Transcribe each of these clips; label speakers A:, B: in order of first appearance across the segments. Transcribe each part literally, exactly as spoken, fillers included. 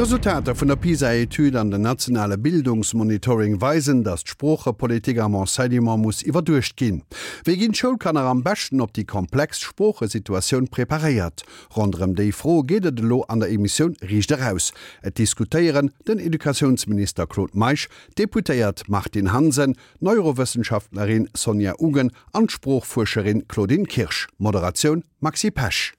A: D'Resultater vun der PISA-Etüd an den nationale Bildungsmonitoring weisen, datt d'Sproochepolitik am Enseignement muss iwwerduecht ginn. Wéi ginn d'Schoulkanner am beschten op déi komplex Sproochesituatioun preparéiert? Ronderëm déi Fro geet et elo an der Emissioun Riicht Eraus. Et diskutéieren den Educatiounsminister Claude Meisch, d'Deputéiert Martine Hansen, d'Neurowëssenschaftlerin Sonja Ugen an d'Sproochfuerscherin Claudine Kirsch. Moderatioun, Maxi Pesch.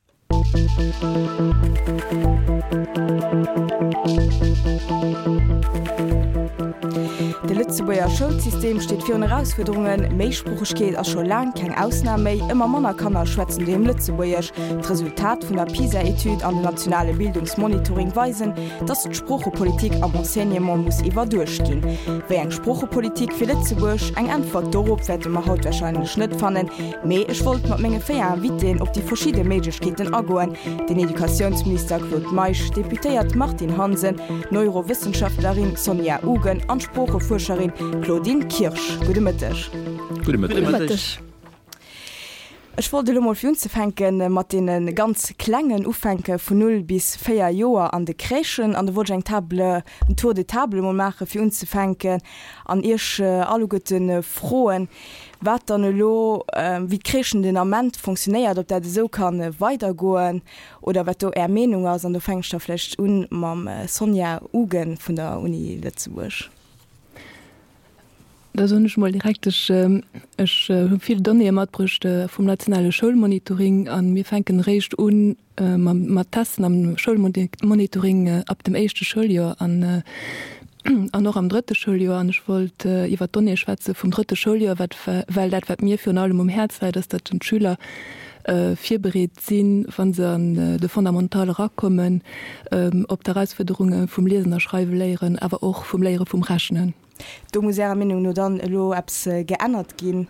B: De Lëtzebuerger Schoulsystem steet virun Erausfuerderungen. Méisproochegkeet ass scho laang keng Ausnam méi. Ëmmer manner Kanner schwätzen doheem Lëtzebuergesch. D'Resultat vun der PISA-Etüd an den nationale Bildungsmonitoring weisen, datt d'Sproochepolitik am Enseignement muss iwwerduecht ginn. Wéi eng Sproochepolitik fir Lëtzebuerg? Eng Äntwert dorop wäerte mer haut warscheinlech net fannen. Mee ech wollt mat menge véier Invitéen op déi verschidde Méiglechkeeten agoen, den Educatiounsminister Claude Meisch, d'Deputéiert Martine Hansen, d'Neurowëssenschaftlerin Sonja Ugen an d'Sproochefuerscherin Claudine Kirsch. Gudde Mëtteg.
C: Gudde Mëtteg.
B: Ech wollt elo mol fir unzefänke mat deene ganz Klengen ufänke, vun null bis véier Joer an de Crèchen. An do wollt ech eng Table, en Tour de table emol maache fir unzefänken an Iech alleguerte froen, wat dann elo, wéi d'Crèchen den Ament fonctionnéiert, ob dat esou ka weidergoen oder wat do Är Meenung ass. An do fänke ech da vläicht u mam Sonja Ugen vun der Uni Lëtzebuerg.
D: Da soen ech mol direkt, ech ech hu vill Donnéeë matbruecht vum nationale Schoulmonitoring a mir fänken eréischt u mat testen am Schoulmonitoring ab dem éischte Schouljoer an an och am drëtte Schouljoer. An ech wollt iwwert d'Donnéeë schwätze vum drëtte Schouljoer, wat well dat wat mir virun allem um Häerz läit, ass, datt d'Schüler virbereet sinn, wa se an de Fondamental erakommen, op d'Erausfuerderunge vum Liesen a Schreiwe léieren, awer och vum Léiere vum Rechnen.
B: Do muss Ärer Meenung no dann elo eppes geännert ginn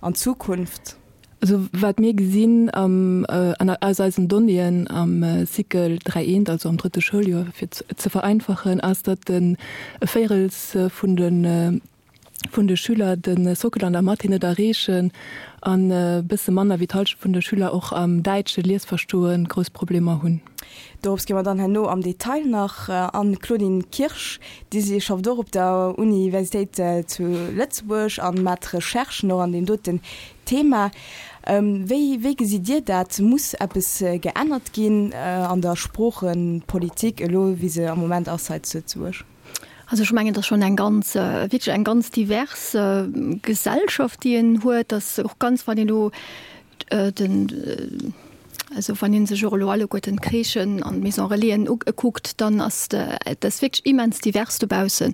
B: an Zukunft?
D: Also wat mir gesinn am, aus eisen Donnéeën am Cycle dräi eent, also am drëtte Schouljoer, fir ze vereinfachen, ass, datt e Véirels vun de vun de Schüler de Sockel an der Mathé net erreechen an e bësse manner wéi d'Hallschent vun de Schüler och am däitsche Liesverstoe grouss Problemer hunn.
B: Dorops gi mer dann herno am Detail nach an. Claudine Kirsch, Dir si schafft och op der Universitéit zu Lëtzebuerg an mat Recherchen och an deem doten Thema. Wéi, wéi gesitt Dir dat? Muss eppes geännert ginn an der Sproochepolitik elo, wéi se am Moment ass hei zu Lëtzebuerg?
E: Also ech mengen, et ass schonn eng ganz, wierklech eng ganz divers Gesellschaft, déi een huet. Dass och ganz, wann een elo den, also wann ee sech och elo alleguerten d'Crèchen an d'Maison Relaisen ukuckt, dann ass dat ass wierklech immens divers dobaussen.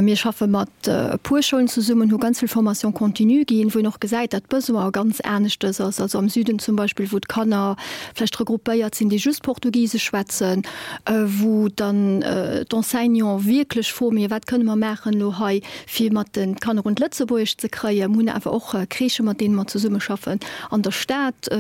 E: Mir schaffe mat e puer Schoulen zesummen, hu ganz vill Formation continue ginn, wou een och gesäit, datt d'Besoin ganz aneschtes ass. Also am Süden zum Beispill, wou d'Kanner vläicht regroupéiert sinn, déi just Portugisesch schwätzen, wou dann d'Enseignants wierklech froen, Mee wat kënne mer maachen elo hei, fir mat de Kanner un d'Lëtzebuergesch ze kréien? Mir hunn awer och Crèchë mat deene mer zesummeschaffen an der Stad,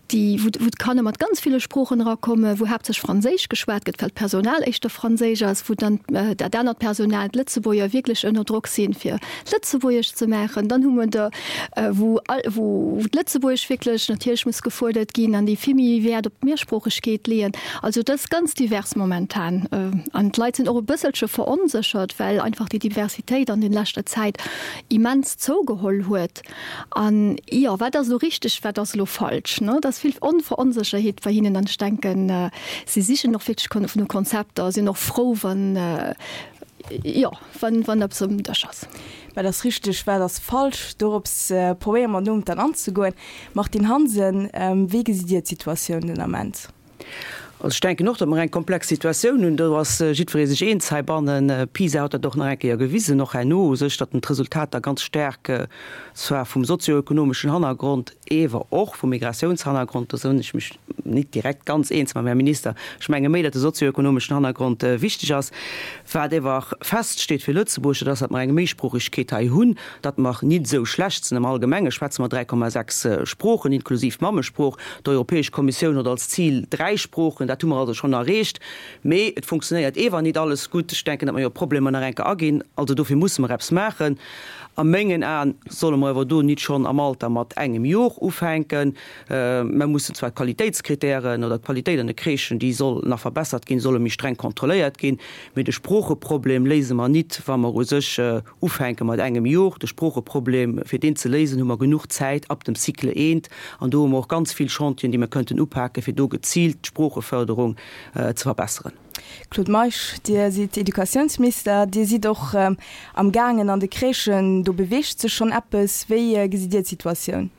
E: déi, wou d'Kanner mat ganz ville Sproochen erakommen, wou haaptsächlech Franséisch geschwat gëtt, well d'Personal éischter franséisch ass, wou dann dat anert Personal, d'Lëtzebuerger, wierklech ënner Drock sinn, fir Lëtzebuergesch ze maachen. Dann hu mer der, wou wou d'Lëtzebuergesch wierklech natierlech muss gefuerdert ginn an déi vill méi Wäert op d'Mehrsproochegkeet leeën. Also et ass ganz divers momentan an d'Leit sinn och e bësselche veronséchert, well einfach déi Diversitéit an den leschter Zäit immens zougeholl huet. An, jo, wat ass elo richteg, wat ass elo falsch? Ne, et ass vill Onveronsécherheet bei hinnen. An ech denken, si sichen och wierklech no Konzepter, sinn och frou, wann, jo, wann, wann eppes um Dësch ass.
B: Wat ass richteg, wat ass falsch? Dorops probéiere mer nom dann anzegoen. Martine Hansen, wéi gesitt Dir d'Situatioun den Ament?
F: Also ech denken och, datt mer eng komplex Situatioun hunn. Do ass jiddweree sech eens heibannen. PISA huet dat och nach eng Kéier gewisen, och herno u sech, datt en d'Resultater ganz staark zwar vum sozioökonomeschen Hannergrond, ewer och vum Migratiounshannergrond, do sinn ech mech nit direkt ganz eens mam Här Minister, ech menge méi, datt de sozioökonomeschen Hannergrond wichteg ass. Wat ewer feststeet fir Lëtzebuerg, dat ass, datt mer eng Méisproochegkeet hei hunn, datt mer nit esou schlecht sinn. Am Allgemenge schwätze mer dräi Komma sechs Sproochen, inklusiv Mammesprooch. D'Europäesch Kommissioun huet als Zil dräi Sproochen. Dat hu mer also schonn erreecht. Mee et funktionéiert ewer nit alles gutt. Ech denken, datt mer jo op d'Problemer nach eng Kéier aginn. Also dofir musse mer eppes maachen. A mengen Aen solle mer ewer do nit schonn am Alter mat engem Jor ufänken. Mer mussen zwar d'Qualitéitskritären oder d'Qualitéit an de Crèchen, déi soll nach verbessert ginn, solle méi streng kontrolléiert ginn. Mee de Sproocheproblem léise mer nit, wa mer u sech ufänke mat engem Jor. De Sproocheproblem, fir deen ze léisen, hu mer genuch Zäit ab dem Cycle eent. An do hu mer och ganz vill Chantieren, déi mer kënnten upaken, fir do geziilt d'Sproocheförderung ze verbesseren.
B: Claude Meisch, Dir sidd Educatiounsminister, Dir sidd och am gaangen an de Crèchen, do beweegt sech schonn eppes. Wéi gesitt Dir d'Situatioun?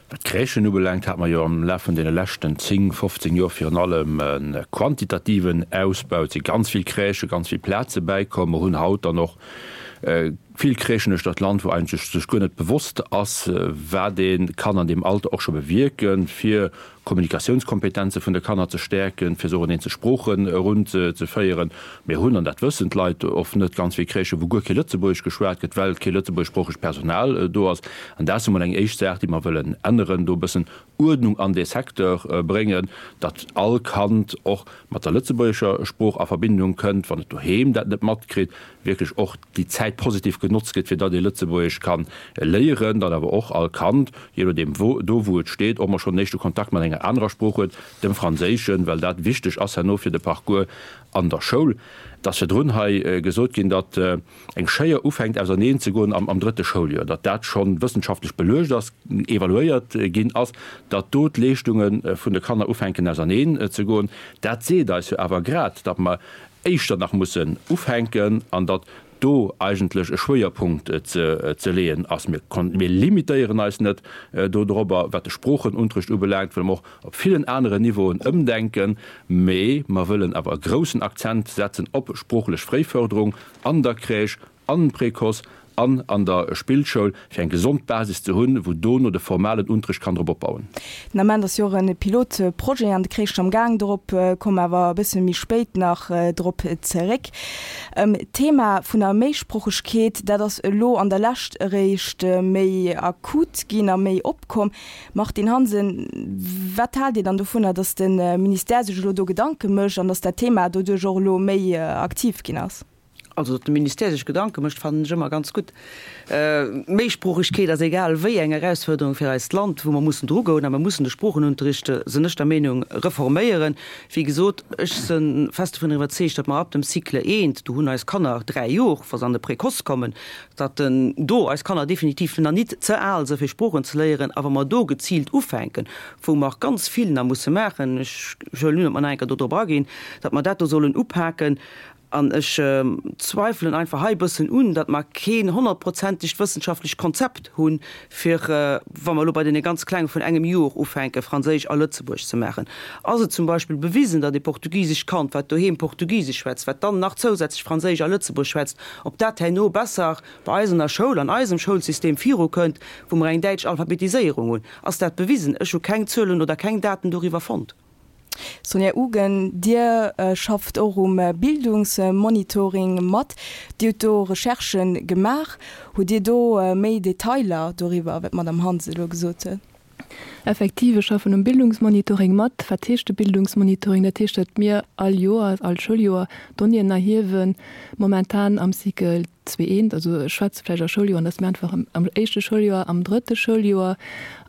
G: Wat d'Crèchen ubelaangt, hate mer jo am Laf vun deene leschten zéng, fofzéng Joer virun allem e quantitativen Ausbau. Et si ganz vill Crèchen, ganz vill Plaze bäikomm. Mer hunn haut dann och vill Crèchen uechter d'Land, wou eigentlech sech guer net bewosst ass, wat ee kann an deem Alter och scho bewierken, fir Kommunikatiounskompetenze vun de Kanner ze stäerken, fir se och un eenzel Sproochen erunzeféieren. Mir hunn, an dat wëssen d'Leit oft net, ganz vill Crèchen, wou guer kee Lëtzebuergesch geschwat gëtt, well kee lëtzebuergeschsproochegt Personal do ass. An dat ass emol eng éischt Saach, déi mer wëllen änneren, do e bëssen Uerdnung an dee Secteur bréngen, datt all Kand och mat der lëtzebuergescher Sprooch a Verbindung kënnt, wann et doheem dat net matkritt, wierklech och déi Zäit positiv genotzt gëtt, fir datt ee Lëtzebuergesch ka léieren, datt awer och all Kand, jee nodeem wou, do wou et steet, och mol schonn en éischte Kontakt mat enger anerer Sprooch huet, dem Franséischen, well dat wichteg ass herno fir de Parcours an der Schoul. Et ass virdrun hei gesot ginn, datt eng Schéier ufänkt auserneen ze goen am drëtte Schouljoer, datt dat scho wëssenschaftlech beluecht ass, evaluéiert ginn ass, datt do d'Leeschtunge vun de Kanner ufänken auserneen ze goen. Dat seet eis jo awer grad, datt mer éischter nach mussen ufänken an datt do eigentlech e Schwéierpunkt ze leeën ass. Mir limitéieren eis net dodrobber, wat de Sproochenunterricht ubelaangt, wëlle mer och op villen aneren Niveauen ëmdenken, mee mer wëllen awer e groussen Akzent setzen op sproochlech Fréiförderung an der Crèche, am Précoce an an der Spillschoul, fir eng gesond Basis ze hunn, wou dono de formalen Unterricht kann drop opbauen.
B: Den Ament ass jo och e Pilotprojet an de Crèchen am Gaang. Dorop komme mer awer e bësse méi spéit nach drop zeréck. D'Thema vun der Méisproochegkeet, dat ass elo an der Lescht eréischt méi akut ginn a méi opkomm. Martine Hansen, wat haalt Dir dann dovunner, datt de Ministère sech elo do Gedanke mécht an datt dat Thema doduerch och elo méi aktiv ginn ass?
F: Also, datt de Ministère sech Gedanke mécht, fannen ech ëmmer ganz gutt. Méisproochegkeet ass egal wéi eng Erausfuerderung fir eist Land, wou mer mussen drugoen a mer mussen de Sproochenunterricht, sinn ech der Meenung, reforméieren. Wéi gesot, ech si fest dovun iwwerzeegt, datt mer ab dem Cycle eent, do hunn eis Kanner dräi Jor, wa se an de Précoce kommen, datt do eis Kanner definitiv nach nit ze al si fir Sproochen ze léieren a wa mer do geziilt ufänken, wou mer ganz vill nach musse maachen, ech huelen un, datt mer nach eng Kéier do drop aginn, datt mer dat do sollen upaken. An ech zweifelen einfach hei e bëssen un, datt mer keen honnertprozentegt wëssenschaftlecht Konzept hunn, fir, wa mer elo bei deene ganz Klenge vun engem Jor ufänken, Franséisch a Lëtzebuergesch ze maachen. Ass et zum Beispill bewisen, datt ee portugisescht Kand, wat doheem Portugisesch schwätzt, wat dann nach zousätzlech Franséisch a Lëtzebuergesch schwätzt, ob dat herno besser bei eis an der Schoul, an eisem Schoulsystem virukënnt, wou mer eng däitsch Alphabetiséierung hunn? Ass dat bewisen? Ech hu keng Zuelen oder keng Daten doriwwer fonnt.
B: Sonja Ugen, Dir schafft och um Bildungsmonitoring mat. Dir hutt do Recherchë gemaach. Hutt Dir do méi Detailer doriwwer, wat d'Madame Hansen elo gesot huet?
D: Effektiv, ech schaffen um Bildungsmonitoring mat. Wat heescht de Bildungsmonitoring? Dat heescht, datt mir all Joer, all Schouljoer Donnéeën erhiewen, momentan am Cycle zwee eent, also ech schwätze vläicht a Schouljoeren, dat ass méi einfach, am éischte Schouljoer, am drëtte Schouljoer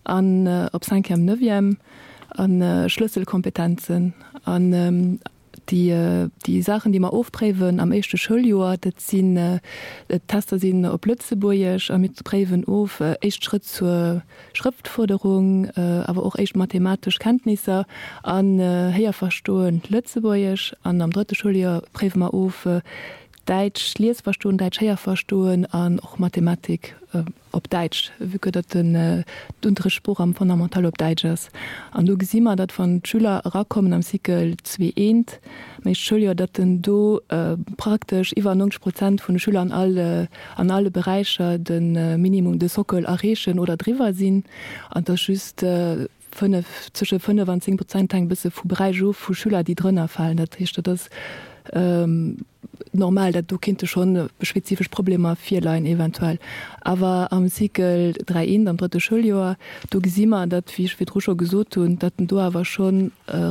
D: an op Cinquième, Neuvième. A Schlësselkompetenzen an déi déi Saachen, déi mer ofpréiwen am éischte Schouljoer, dat sinn, d'Tester sinn op Lëtzebuergesch a mir préiwen of éischt Schrëtt zur Schrëftfuerderung, awer och éischt mathematesch Kenntnisser an Héierverstoen Lëtzebuergesch. An am drëtte Schouljoer préiwe mer of Däitsch Liesverstoen, Däitsch Héierverstoen an och Mathematik op Däitsch, vue que datt d'Unterrichtssprooch am Fondamental op Däitsch ass. An do gesi mer, datt wann d'Schüler erakommen am Cycle zwee eent, am éischte Schouljoer, datt den do praktesch iwwer neunzeg Prozent vun de Schüler an alle an alle Beräicher de Minimum, de Sockel erreechen oder driwwer sinn. An dass just fënnef, zwësche fënnef an zéng Prozent, hänkt e bësse vu Beräich of, vu Schüler, déi drënner falen. Dat heescht, dat ass normal, datt do kinnte schonn spezifesch Problemer virleien eventuell. Awer am Cycle dräi eent, am drëtte Schouljoer, do gesi mer, datt, wéi ech virdru scho gesot hunn, datt do awer scho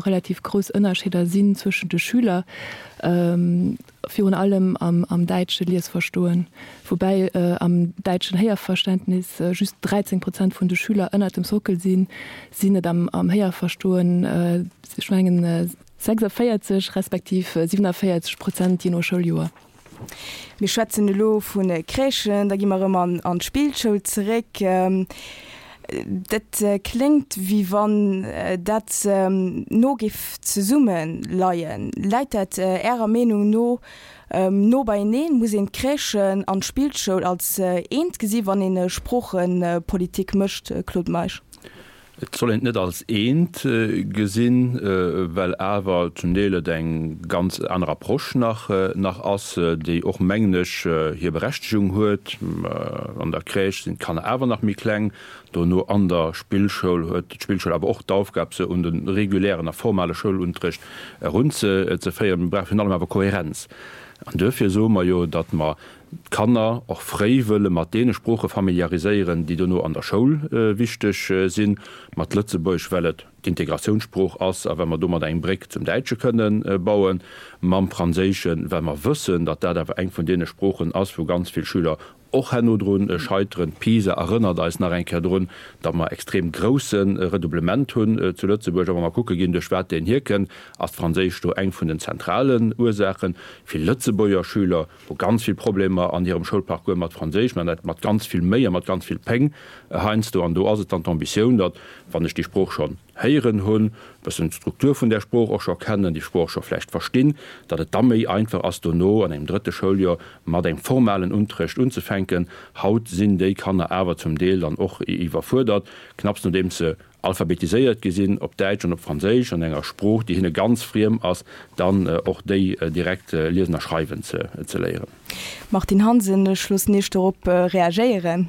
D: relativ grouss Ënnerscheeder sinn zwëschen de Schüler, virun allem am am däitsche Liesverstoen, woubäi am däitschen Héierverständnis just dräizéng Prozent vun de Schüler ënnert dem Sockel sinn, sinn et am am Héierverstoen, ech mengen, sechsundvéierzeg respektiv siewenundvéierzeg Prozent, jee no Schouljoer.
B: Mir schwätzen elo vu Crèchen, da gi mer erëm an an d'Spillschoul zeréck. Dat kléngt, wéi wann dat no géif zesumme leien. Läit dat Ärer Meenung no no beieneen? Muss een d'Crèchen an d'Spillschoul als eent gesi wann een Sproochepolitik mécht, Claude Meisch?
G: Et soll een et net als eent gesinn, well awer zum Deel et eng ganz aner Approche nach nach ass, déi och, mengen ech, hir Berechtegung huet. An der Crèche sinn d'Kanner awer nach méi kleng. Dono an der Spillschoul huet d'Spillschoul awer och d'Aufgab, se un de regulären a formale Schoulunterrecht erunzeféieren. Mir brauche virun allem awer Kohärenz. An duerfir soe mer jo, datt mer d'Kanner och fréi wëlle mat deene Sprooche familiariséieren, déi dono an der Schoul wichteg sinn, mat Lëtzebuergesch, well et d'Integratiounssprooch ass a well mer domat eng Bréck zum Däitsche kënne bauen, mam Franséischen, well mer wëssen, datt dat awer eng vun deene Sproochen ass, wou ganz vill Schüler och herno drun scheiteren. D'PISA erënnert eis nach eng Kéier drun, datt mer extrem grousse Redoublement hunn zu Lëtzebuerg. A wa mer kucke ginn, duerch wat deen hierkënnt, ass d'Franséisch do eng vun den zentralen Ursaachen. Vill Lëtzebuerger Schüler hu ganz vill Problemer an hirem Schoulparcours mat Franséisch, mä dat mat ganz vill Méi a mat ganz vill Péng heiansdo. An do ass et dann d'Ambitioun, datt, wann ech déi Sprooch schonn héieren hunn, e bëssen d'Struktur vun där Sprooch och scho kennen, déi Sprooch scho vläicht verstinn, datt et da méi einfach ass, dono an engem drëtte Schouljoer mat engem formalen Unterrecht unzefänken. Haut sinn déi Kanner awer zum Deel dann och iwwerfuerdert, knapps nodeems se alphabetiséiert gi sinn op Däitsch an op Franséisch, an enger Sprooch, déi hinne ganz friem ass, dann och déi direkt liesen a schreiwen ze léieren.
B: Martine Hansen, Ech loossen Iech dorop reagéieren.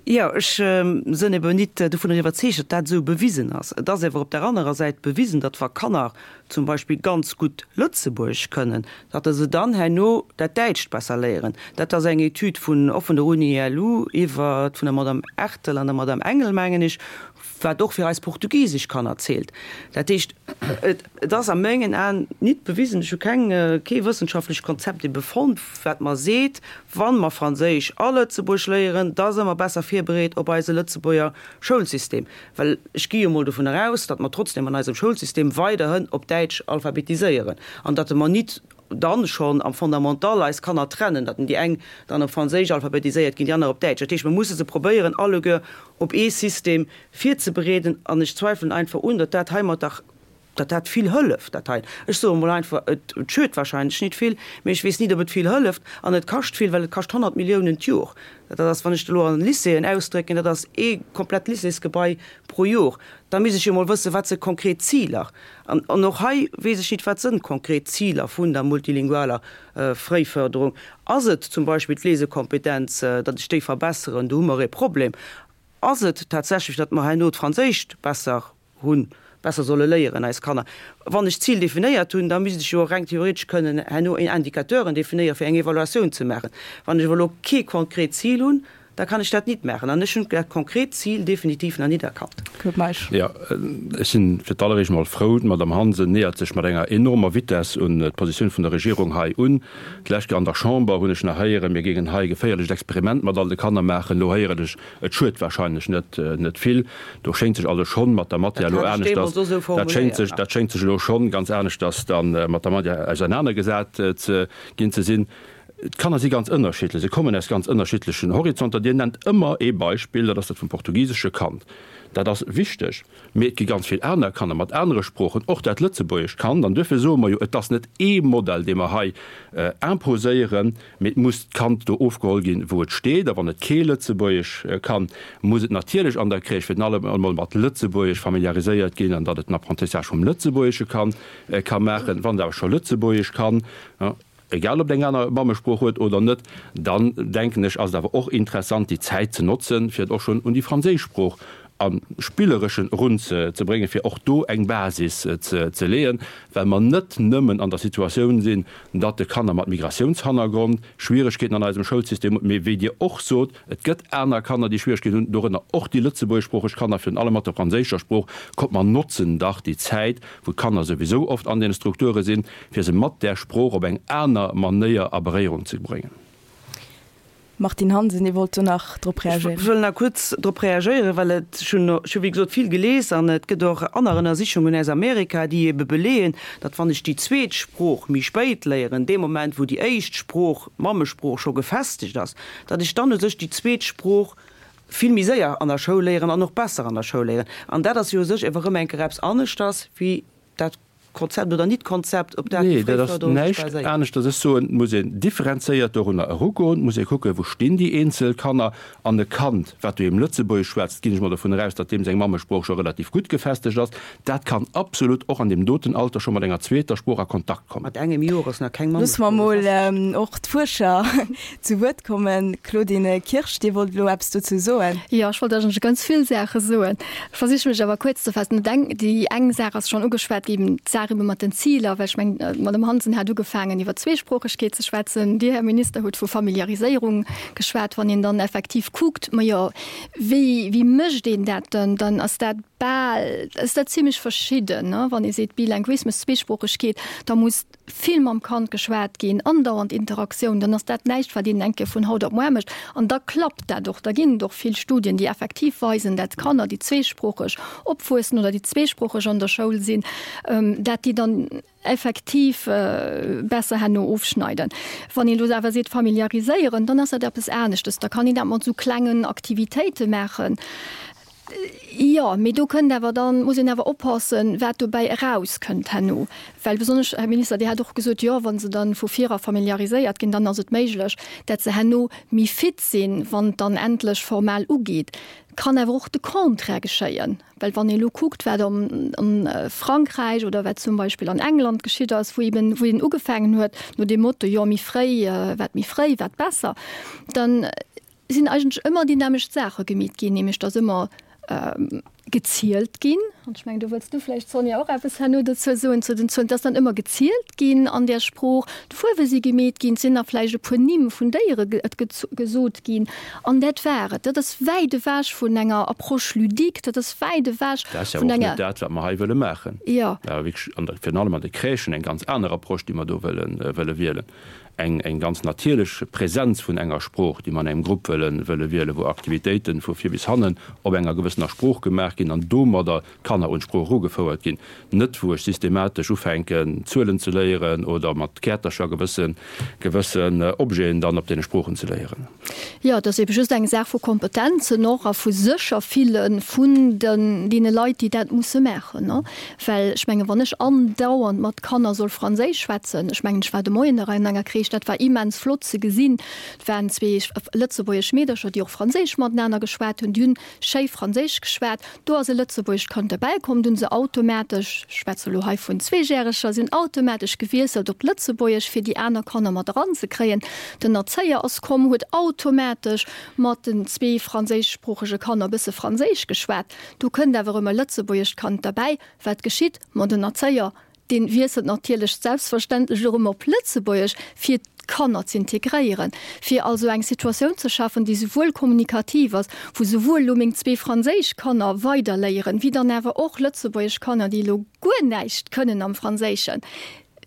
F: Jo, ech sënn ebe nit dovunner iwwerzeegt, datt dat esou bewisen ass. Et ass ewer op der anerer Säit bewisen, datt wa Kanner zum Beispill ganz gutt Lëtzebuergesch kënnen, datt se dann herno dat Däitscht besser léieren. Dat ass eng Etüd vun, och vun der Uni L U iwwer, vun der Madame Ertel an der Madame Engel, mengen ech, wat och fir eis portugisesch Kanner zielt. Dat heescht, et ass a mengen Aen nit bewisen, ech hu keng, kee wëssenschaftlecht Konzept ebe fonnt, wat mer seet, wa mer Franséisch a Lëtzebuerg léieren, da si mer besser virbereet op eise Lëtzebuerger Schoulsystem. Well ech gi jo mol dovun eraus, datt mer trotzdem an eisem Schoulsystem weiderhin op Däitsch alphabetiséieren an datt mer nit dann schonn am Fondamental eis Kanner trennen, datt déi eng dann op Franséisch alphabetiséiert ginn, déi aner op Däitsch. Dat heescht, mer musse se probéieren alleguer op ee System virzebereeden an ech zweifelen einfach un, datt dat heimatter, datt dat vill hëlleft, dat hei. Ech soe mol einfach, et schued wahrscheinlech nit vill, mee ech weess nit, ob et vill hëlleft an et kascht vill, well et kascht honnert Milliounen d'Jor. Dat ass, wann ech et elo an Lycéeën ausdrécken, dat ass ee komplett Lycéesgebai pro Jor. Da misst ech jo mol wëssen, wat si konkret Ziler. An och hei weess ech nit, wat sënn konkret Ziler vun der multilingualer Fréiförderung. Ass et zum Beispill d'Lesekompetenz, datt ech déi verbesseren? Do hu mer e Problem. Ass et tatsächlech, datt mer herno d'Franséischt besser hunn, besser solle léieren, eis Kanner? Wann ech d'Zil definéiert hunn, da misst ech jo och reng theoretesch kënnen herno Indicateuren definéieren, fir eng Evaluatioun ze maachen. Wann ech awer elo kee konkret Zil hunn, da kann ech dat nit maachen. An ech hunn dat konkret Zil definitiv nach nit erkannt.
B: Claude Meisch.
G: Jo, ech si fir d'alleréischt emol frou, d'Madame Hansen nähert sech mat enger enormer Vitesse un d'Positioun vun der Regierung hei un. D'lescht Kéier an der Chamber hunn ech nach héieren, mir géingen hei e geféierlecht Experiment mat all de Kanner maachen. Elo héieren ech, et schued wahrscheinlech net, net vill. Do schéngt sech also schonn mat der Matière elo aneschters, dat schéngt sech, dat schéngt sech elo schonn ganz aneschters dann mat der Matière ausernanergesat ze ginn ze sinn. D'Kanner si ganz ënnerschiddlech, se kommen aus ganz ënnerschiddlechen Horizonter. Dir nennt ëmmer ee Beispill, dat ass dat vum portugisesche Kand. Dat ass wichteg, mee et gi ganz vill aner Kanner mat anere Sproochen, och dat lëtzebuergescht Kand. An duerfir soe mer jo, et ass net ee Modell, dee mer hei imposéieren, mee et muss d'Kand do ofgeholl ginn, wou et steet. A wann et kee Lëtzebuergesch kann, muss et natierlech an der Crèche virun allem emol mat Lëtzebuergesch familiariséiert ginn, an datt et den Apprentissage vum Lëtzebuergesche kann ka maachen. Wann et awer scho Lëtzebuergesch kann, egal ob et eng aner Mammesprooch huet oder net, dann denken ech, ass et awer och interessant, déi Zäit ze notzen, fir et och schonn un déi franséisch Sprooch am Spillereschen erunzebréngen, fir och do eng Basis ze leeën, well mer net nëmmen an der Situatioun sinn, datt de Kanner mat Migratiounshannergrond Schwieregkeeten an eisem Schoulsystem hunn, mee wéi Dir och sot, et gëtt aner Kanner, déi Schwieregkeeten hunn, dorënner och déi lëtzebuergeschsproocheg Kanner, virun allem mat der franséischer Sprooch. Kommt, mer notzen dach déi Zäit, wou d'Kanner souwisou oft an deene Strukture sinn, fir se mat där Sprooch op eng aner Manéier a Beréierung ze bréngen.
B: Martine Hansen, Dir wollt do nach drop reagéieren.
F: Ech wëll nach kuerz drop reagéieren, well et, ech hunn, ech hu wéi gesot vill gelies an et gëtt och aner Ënnersichungen aus Amerika, déi ebe beleeën, datt wann ech déi zweet Sprooch méi spéit léieren, dee Moment wou déi éischt Sprooch, d'Mammesprooch, scho gefestegt ass, datt ech dann u sech déi zweet Sprooch vill méi séier an der Schoul léieren an och besser an der Schoul léieren. An dat ass jo u sech ewer erëm eng Kéier eppes aneschters wéi dat Konzept oder Nit-Konzept, op dat
G: déi Fréiförderung sech baséiert. Nee, dat ass näischt aneschters. Ech soen, et muss een differenzéiert dorunner erugoen, et muss ee kucken, wou stinn déi eenzel Kanner. An e Kand, wat doheem Lëtzebuergesch schwätzt, ginn ech mol dovun eraus, datt deem seng Mammesprooch scho relativ gutt gefestegt ass, dat kann absolut och an deem doten Alter scho mat enger zweeter Sprooch a Kontakt kommen.
F: Mat engem Joer ass nach keng
B: Loosse mer
F: Mammesprooch gefestegt.
B: mol och d'Fuerscher zu Wuert kommen. Claudine Kirsch, Dir wollt elo eppes dozou soen.
E: Jo, ech wollt eigentlech ganz vill Saache soen. Ech versiche mech awer kuerz ze faassen. Déi eng Saach ass schonn ugeschwat ginn, d'Saach ebe mat den Ziler, well ech mengen, d'Madame Hansen hat ugefaangen iwwer Zweesproochegkeet ze schwätzen, Dir, Här Minister, hutt vu Familiariséierung geschwat. Wann een dann effektiv kuckt, majo, wéi, wéi mécht een dat dann, dann ass dat bal, ass dat zimlech verschidden, ne? Wann ee seet Bilinguismus, Zweesproochegkeet, da muss vill mam Kand geschwat ginn, andauernd Interaktioun, dann ass dat näischt, wat een eng Kéier vun haut op muar mécht. An da klappt dat och. Da ginn et och vill Studien, déi effektiv weisen, dat Kanner, déi zweesproocheg opwuessen oder déi zweesproocheg an der Schoul sinn, dat déi dann effektiv besser herno ofschneiden. Wann een elo awer seet familiariséieren, dann ass dat eppes aneschtes. Da kann een dat mat esou klengen Aktivitéite maachen. Jo, mee do kënnt awer dann, muss een awer oppassen, wat dobäi erauskënnt herno. Well besonnesch, Här Minister, Dir hat och gesot, jo, wa se dann vu virer familiariséiert ginn, dann ass et méiglech, dat se herno méi fit sinn, wann et dann endlech formal ugeet. Kann awer och de Contraire geschéien. Well wann ee elo kuckt, wat a Frankräich oder wat zum Beispill an England geschitt ass, wou eben, wou een ugefaangen huet no deem Motto, jo, méi fréi, wat méi fréi, wat besser, dann sinn eigentlech ëmmer déi nämmlecht Saache gemeet ginn, nämlech datt ëmmer gezielt ginn, an ech mengen, do wëlls du vläicht, Sonja, och eppes herno dozou soen, zu den Zuelen, et ass dann ëmmer gezielt ginn an där Sprooch, d'Fuerwe si gemeet ginn, et sinn nach vläicht e puer Nimm vun Déiere gesot ginn, an dat war et. Dat ass wäit ewech vun enger Approche ludique, dat ass wäit ewech
G: Dat ass jo
E: vun
G: och
E: enger.
G: net dat, wat mer hei wëlle maachen.
E: Jo.
G: Dat ass wierklech an der, virun allem an de Crèchen eng ganz aner Approche, déi mer do wëlle, wëlle wielen. Eng, eng ganz natierlech Präsenz vun enger Sprooch, déi mer an engem Grupp wëlle, wëlle wielen, wou Aktivitéiten vu vir bis hannen op enger gewëssener Sprooch gemaach ginn an domadder d'Kanner un d'Sprooch erugefouert ginn, net wou ech systematesch ufänken, Zuelen ze léieren oder mat Käertercher gewësse, gewëssen Objeten dann op deene Sproochen ze léieren.
E: Jo, et ass ebe just eng Saach vu Kompetenzen och a vu Sécherfille vun den, deene Leit, déi dat musse maachen, ne? Well ech menge wann ech andauernd mat Kanner soll Franséisch schwätzen, ech mengen, ech war de Moien nach an enger Crèche, dat war immens flott ze gesinn, et waren zwee lëtzebuergesch Meedercher, déi och Franséisch matenaner geschwat hunn, déi hunn schéi Franséisch geschwat, do ass e lëtzebuergescht Kand derbäi komm, do hunn se automatesch, ech schwätze elo hei vun Zweejäreger, si hunn automatesch gewiesselt op Lëtzebuergesch, fir déi aner Kanner mat eranzekréien. Den Erzéier ass komm, huet automatesch mat den zwee franséischsproochege Kanner e bësse Franséisch geschwat. Do kënnt awer erëm e lëtzebuergescht Kand derbäi. Wat geschitt? Ma den Erzéier, dee wiesselt natierlech selbstverständlech erëm op Lëtzebuergesch, fir d'Kanner z'integréieren, fir also eng Situatioun ze schafen, déi souwuel kommunikativ ass, wou souwuel elo meng zwee franséisch Kanner weiderléieren, wéi dann awer och lëtzebuergesch Kanner, déi elo guer näischt kënnen am Franséischen.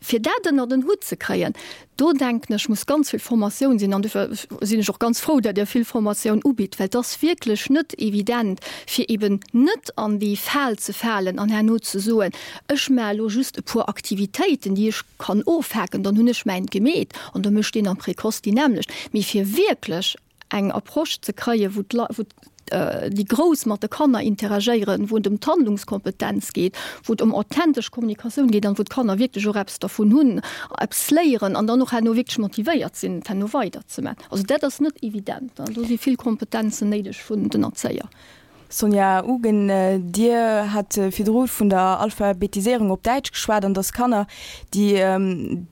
E: Fir dat ënnert en Hutt ze kréien, do denken ech, muss ganz vill Formatioun sinn. An dofir sinn ech och ganz frou, datt Dir vill Formatioun ubitt, well et ass wierklech net evident, fir eben net an déi Fal ze falen an herno ze soen, ech maache elo just e puer Aktivitéiten, déi ech kann ofhaken, dann hunn ech mäint gemeet an da mécht deen am Précoce déi nämmlecht. Mee fir wierklech eng Approche ze kréien, wou wou déi Grouss mat de Kanner interagéieren, wou et ëm d'Handlungskompetenz geet, wou et ëm authentesch Kommunikatioun geet an wou d'Kanner wierklech och eppes dervun hunn, eppes léieren an dann och herno wierklech motivéiert sinn, et herno weiderzemaachen. Also dat ass net evident. Do si vill Kompetenzen néideg vun den Erzéier.
B: Sonja Ugen, Dir hat virdru vun der Alphabetiséierung op Däitsch geschwat an dass Kanner, déi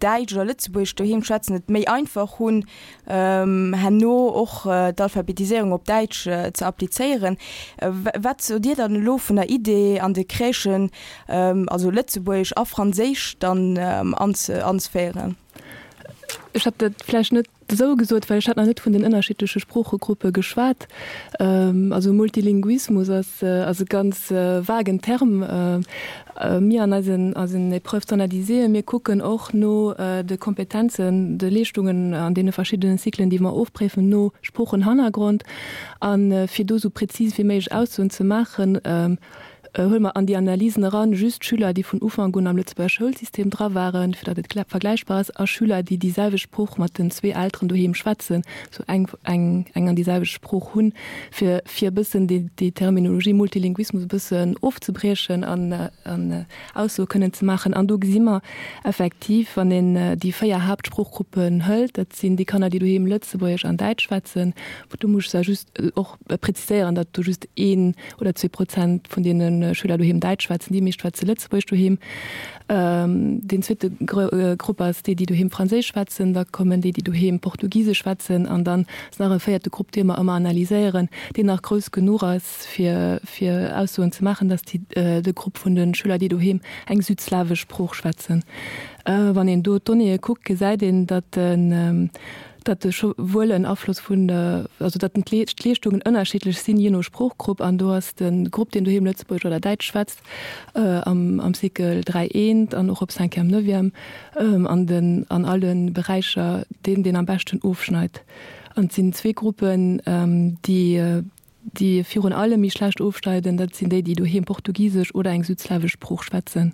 B: Däitsch oder Lëtzebuergesch doheem schwätzen, et méi einfach hunn, herno och d'Alphabetiséierung op Däitsch ze applizéieren. Wat sot Dir dann elo vun der Idee, an de Crèchen also Lëtzebuergesch a Franséisch dann anzeféieren?
D: Ech hat dat vläicht net esou gesot, well ech hat nach net vun den ënnerschiddleche Sproochegruppe geschwat. Also Multilinguismus ass ass e ganz vagen Term. Mir an eisen eisen Épreuves standardisées, mir kucken och no de Kompetenzen, de Leeschtungen an deene verschiddenen Cyclen, déi mer ofpréifen, no Sproochenhannergrond. A fir do esou prezis wéi méiglech Aussoen ze maachen, Huele mer an déi Analysen eran just Schüler, déi vun Ufank un am Lëtzebuerger Schoulsystem dra waren, fir datt et vergläichbar ass, a Schüler, déi déi selwecht Sprooch mat den zwee Elteren doheem schwätzen, sou eng, eng, eng an déi selwecht Sprooch hunn, fir, fir e bëssen déi, déi Terminologie Multilinguismus e bëssen ofzebriechen an, an Aussoe kënnen ze maachen. An do gesi mer effektiv, wann een déi véier Haaptsproochgruppen hëlt, dat sinn déi Kanner, déi doheem Lëtzebuergesch an Däitsch schwätzen, do muss ech just och preziséieren, datt do just een oder zwee Prozent vun deene Schüler doheem Däitsch schwätzen, déi meescht schwätze Lëtzebuergesch doheem. Deen zweete Grupp ass déi, déi doheem Franséisch schwätzen. Da kommen déi, déi doheem Portugisesch schwätzen. An dann ass nach e véierte Grupp, dee mer ëmmer analyséieren, deen nach grouss genuch ass, fir fir Aussoen ze maachen, dat ass déi de Grupp vun de Schüler, déi doheem eng südslawesch Sprooch schwätzen. Wann een do d'Donnéeë kuckt, gesäit een, datt den datt e scho wuel en Afloss vun der, also datt den d'Leeschtungen ënnerschiddlech sinn, jee no Sproochgrupp. An do ass de Grupp, deen doheem Lëtzebuergesch oder Däitsch schwätzt, am am Cycle dräi eent an och op Cinquième, Neuvième, an den an alle Beräicher deen, deen am beschten ofschneit. An et sinn zwee Gruppen, déi déi virun allem méi schlecht ofschneiden, dat sinn déi, déi doheem Portugisesch oder eng südslawesch Sprooch schwätzen.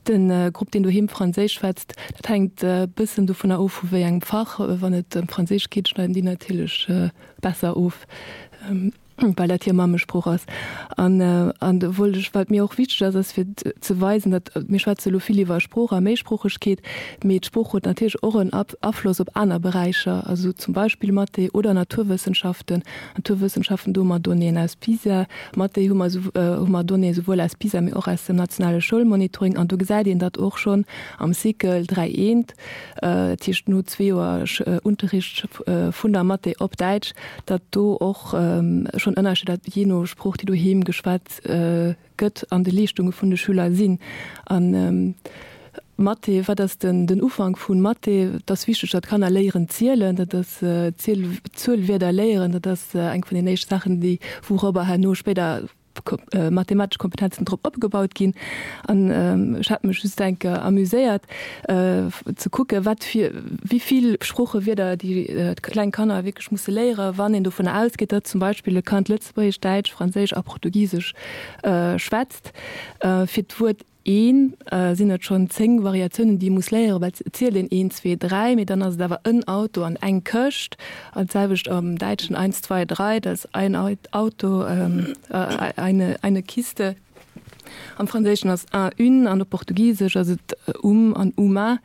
D: De Grupp, deen doheem Franséisch schwätzt, dat hänkt e bëssen dovunner of, vu wéi engem Fach. Wann et ëm Franséisch geet, schneiden déi natierlech besser of, well dat hir Mammesprooch ass. An, an do wollt ech, wat mir och wichteg ass, ass fir ze weisen, datt, mir schwätze elo vill iwwer Sprooch a Méisproochegkeet, mee d'Sprooch huet natierlech och en Afloss op aner Beräicher, also zum Beispill Mathé oder Naturwëssenschaften. Naturwëssenschaften, do hu mer Donnéeën aus PISA. Mathé hu mer hu mer Donnéeë souwuel aus PISA, mee och aus dem nationale Schoulmonitoring. An do gesäit een datt och schonn am Cycle dräi eent, dat heescht no zwee Joer Unterricht vun der Mathé op Däitsch, datt do och schonn Ënnerscheeder jee no Sprooch, déi doheem geschwat gëtt, an de Leeschtunge vun de Schüler sinn. An Mathé, wat ass den den Ufank vu Mathé? Et ass wichteg, datt d'Kanner léieren zielen, dat ass Ziel Zuelwierder léieren, dat ass eng vun den éischte Saachen, déi wourobber herno spéider mathematesch Kompetenzen drop opgebaut ginn. An ech hat mech just eng Kéier amuséiert ze kucken, wat fir wéi vill Sproochewierder déi kleng Kanner wierklech musse léieren, wann een dovunner ausgeet, datt zum Beispill e Kand Lëtzebuergesch, Däitsch, Franséisch a Portugisesch schwätzt. Fir d'Wuert een sinn et schonn zéng Variatiounen, déi ee muss léieren, well et zielt een een, zwee, dräi, mee dann ass et awer en Auto an eng Këscht. An d'selwecht am Däitschen, eins, zwei, drei, dat ass ein Auto, eine, eine Kiste. Am Franséischen ass un, une an op Portugisesch ass et um an uma.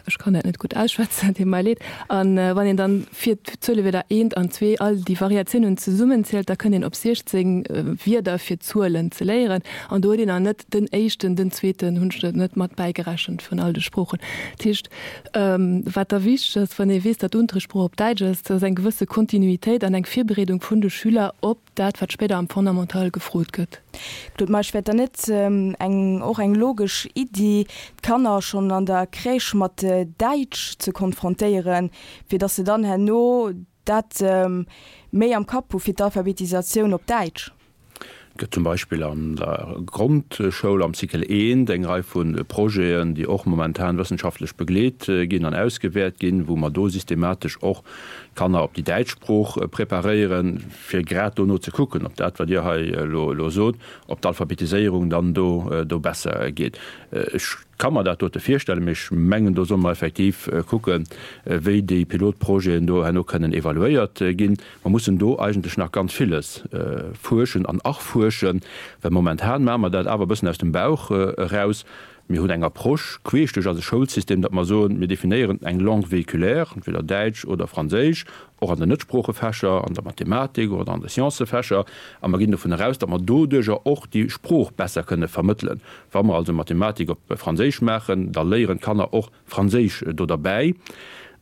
D: Ech kann dat net gutt ausschwätzen, deet mer leed. An wann een dann fir d'Zuelewierder eent an zwee all déi Variatiounen zesummenzielt, da kënnt een op siechzéng Wierder fir Zuelen ze léieren. An do huet een nach net den éischten, den zweeten hunn ech net mat bäigerechent vun all de Sproochen. Dat heescht, wat da wichteg ass, wann ee weess, datt d'Unterrichtssprooch op Däitsch ass, dat ass eng gewësse Kontinuitéit an eng Virbereedung vun de Schüler op dat, wat spéider am Fondamental gefrot gëtt.
B: Claude Meisch, Wär et dann net eng och eng logesch Iddi, d'Kanner schonn an der Crèche mat Däitsch ze konfrontéieren, fir datt se dann herno dat méi am Kapp hu fir d'Alphabetisatioun op Däitsch?
G: Et gëtt zum Beispill an der Grondschoul am Cycle eent eng Rei vu Projeten, déi och momentan wëssenschaftlech begleet ginn an ausgewäert ginn, wou mer do systematesch och d'Kanner op déi däitsch Sprooch preparéieren, fir grad dono ze kucken, ob dat, wat Dir hei elo sot, ob d'Alphabetiséierung dann do besser geet. Ech ka mer dat dote virstellen, mee ech mengen, do solle mer effektiv kucken, wéi déi Pilotprojeten do herno kënnen evaluéiert ginn. Mer mussen do eigentlech nach ganz villes fuerschen an erfuerschen, well momentan maache mer dat awer e bëssen aus dem Bauch eraus. Mir hunn eng Approche queesch duerch eise Schoulsystem, datt mer soen, mir definéieren eng Langue véhiculaire, entweder Däitsch oder Franséisch, och an den Netsproochefächer, an der Mathematik oder an de Sciencëfächer, a mer ginn dovun eraus, datt mer doduerjer och déi Sprooch besser kënne vermëttelen. Wa mer also Mathematik op Franséisch maachen, da léieren d'Kanner och Franséisch do derbäi.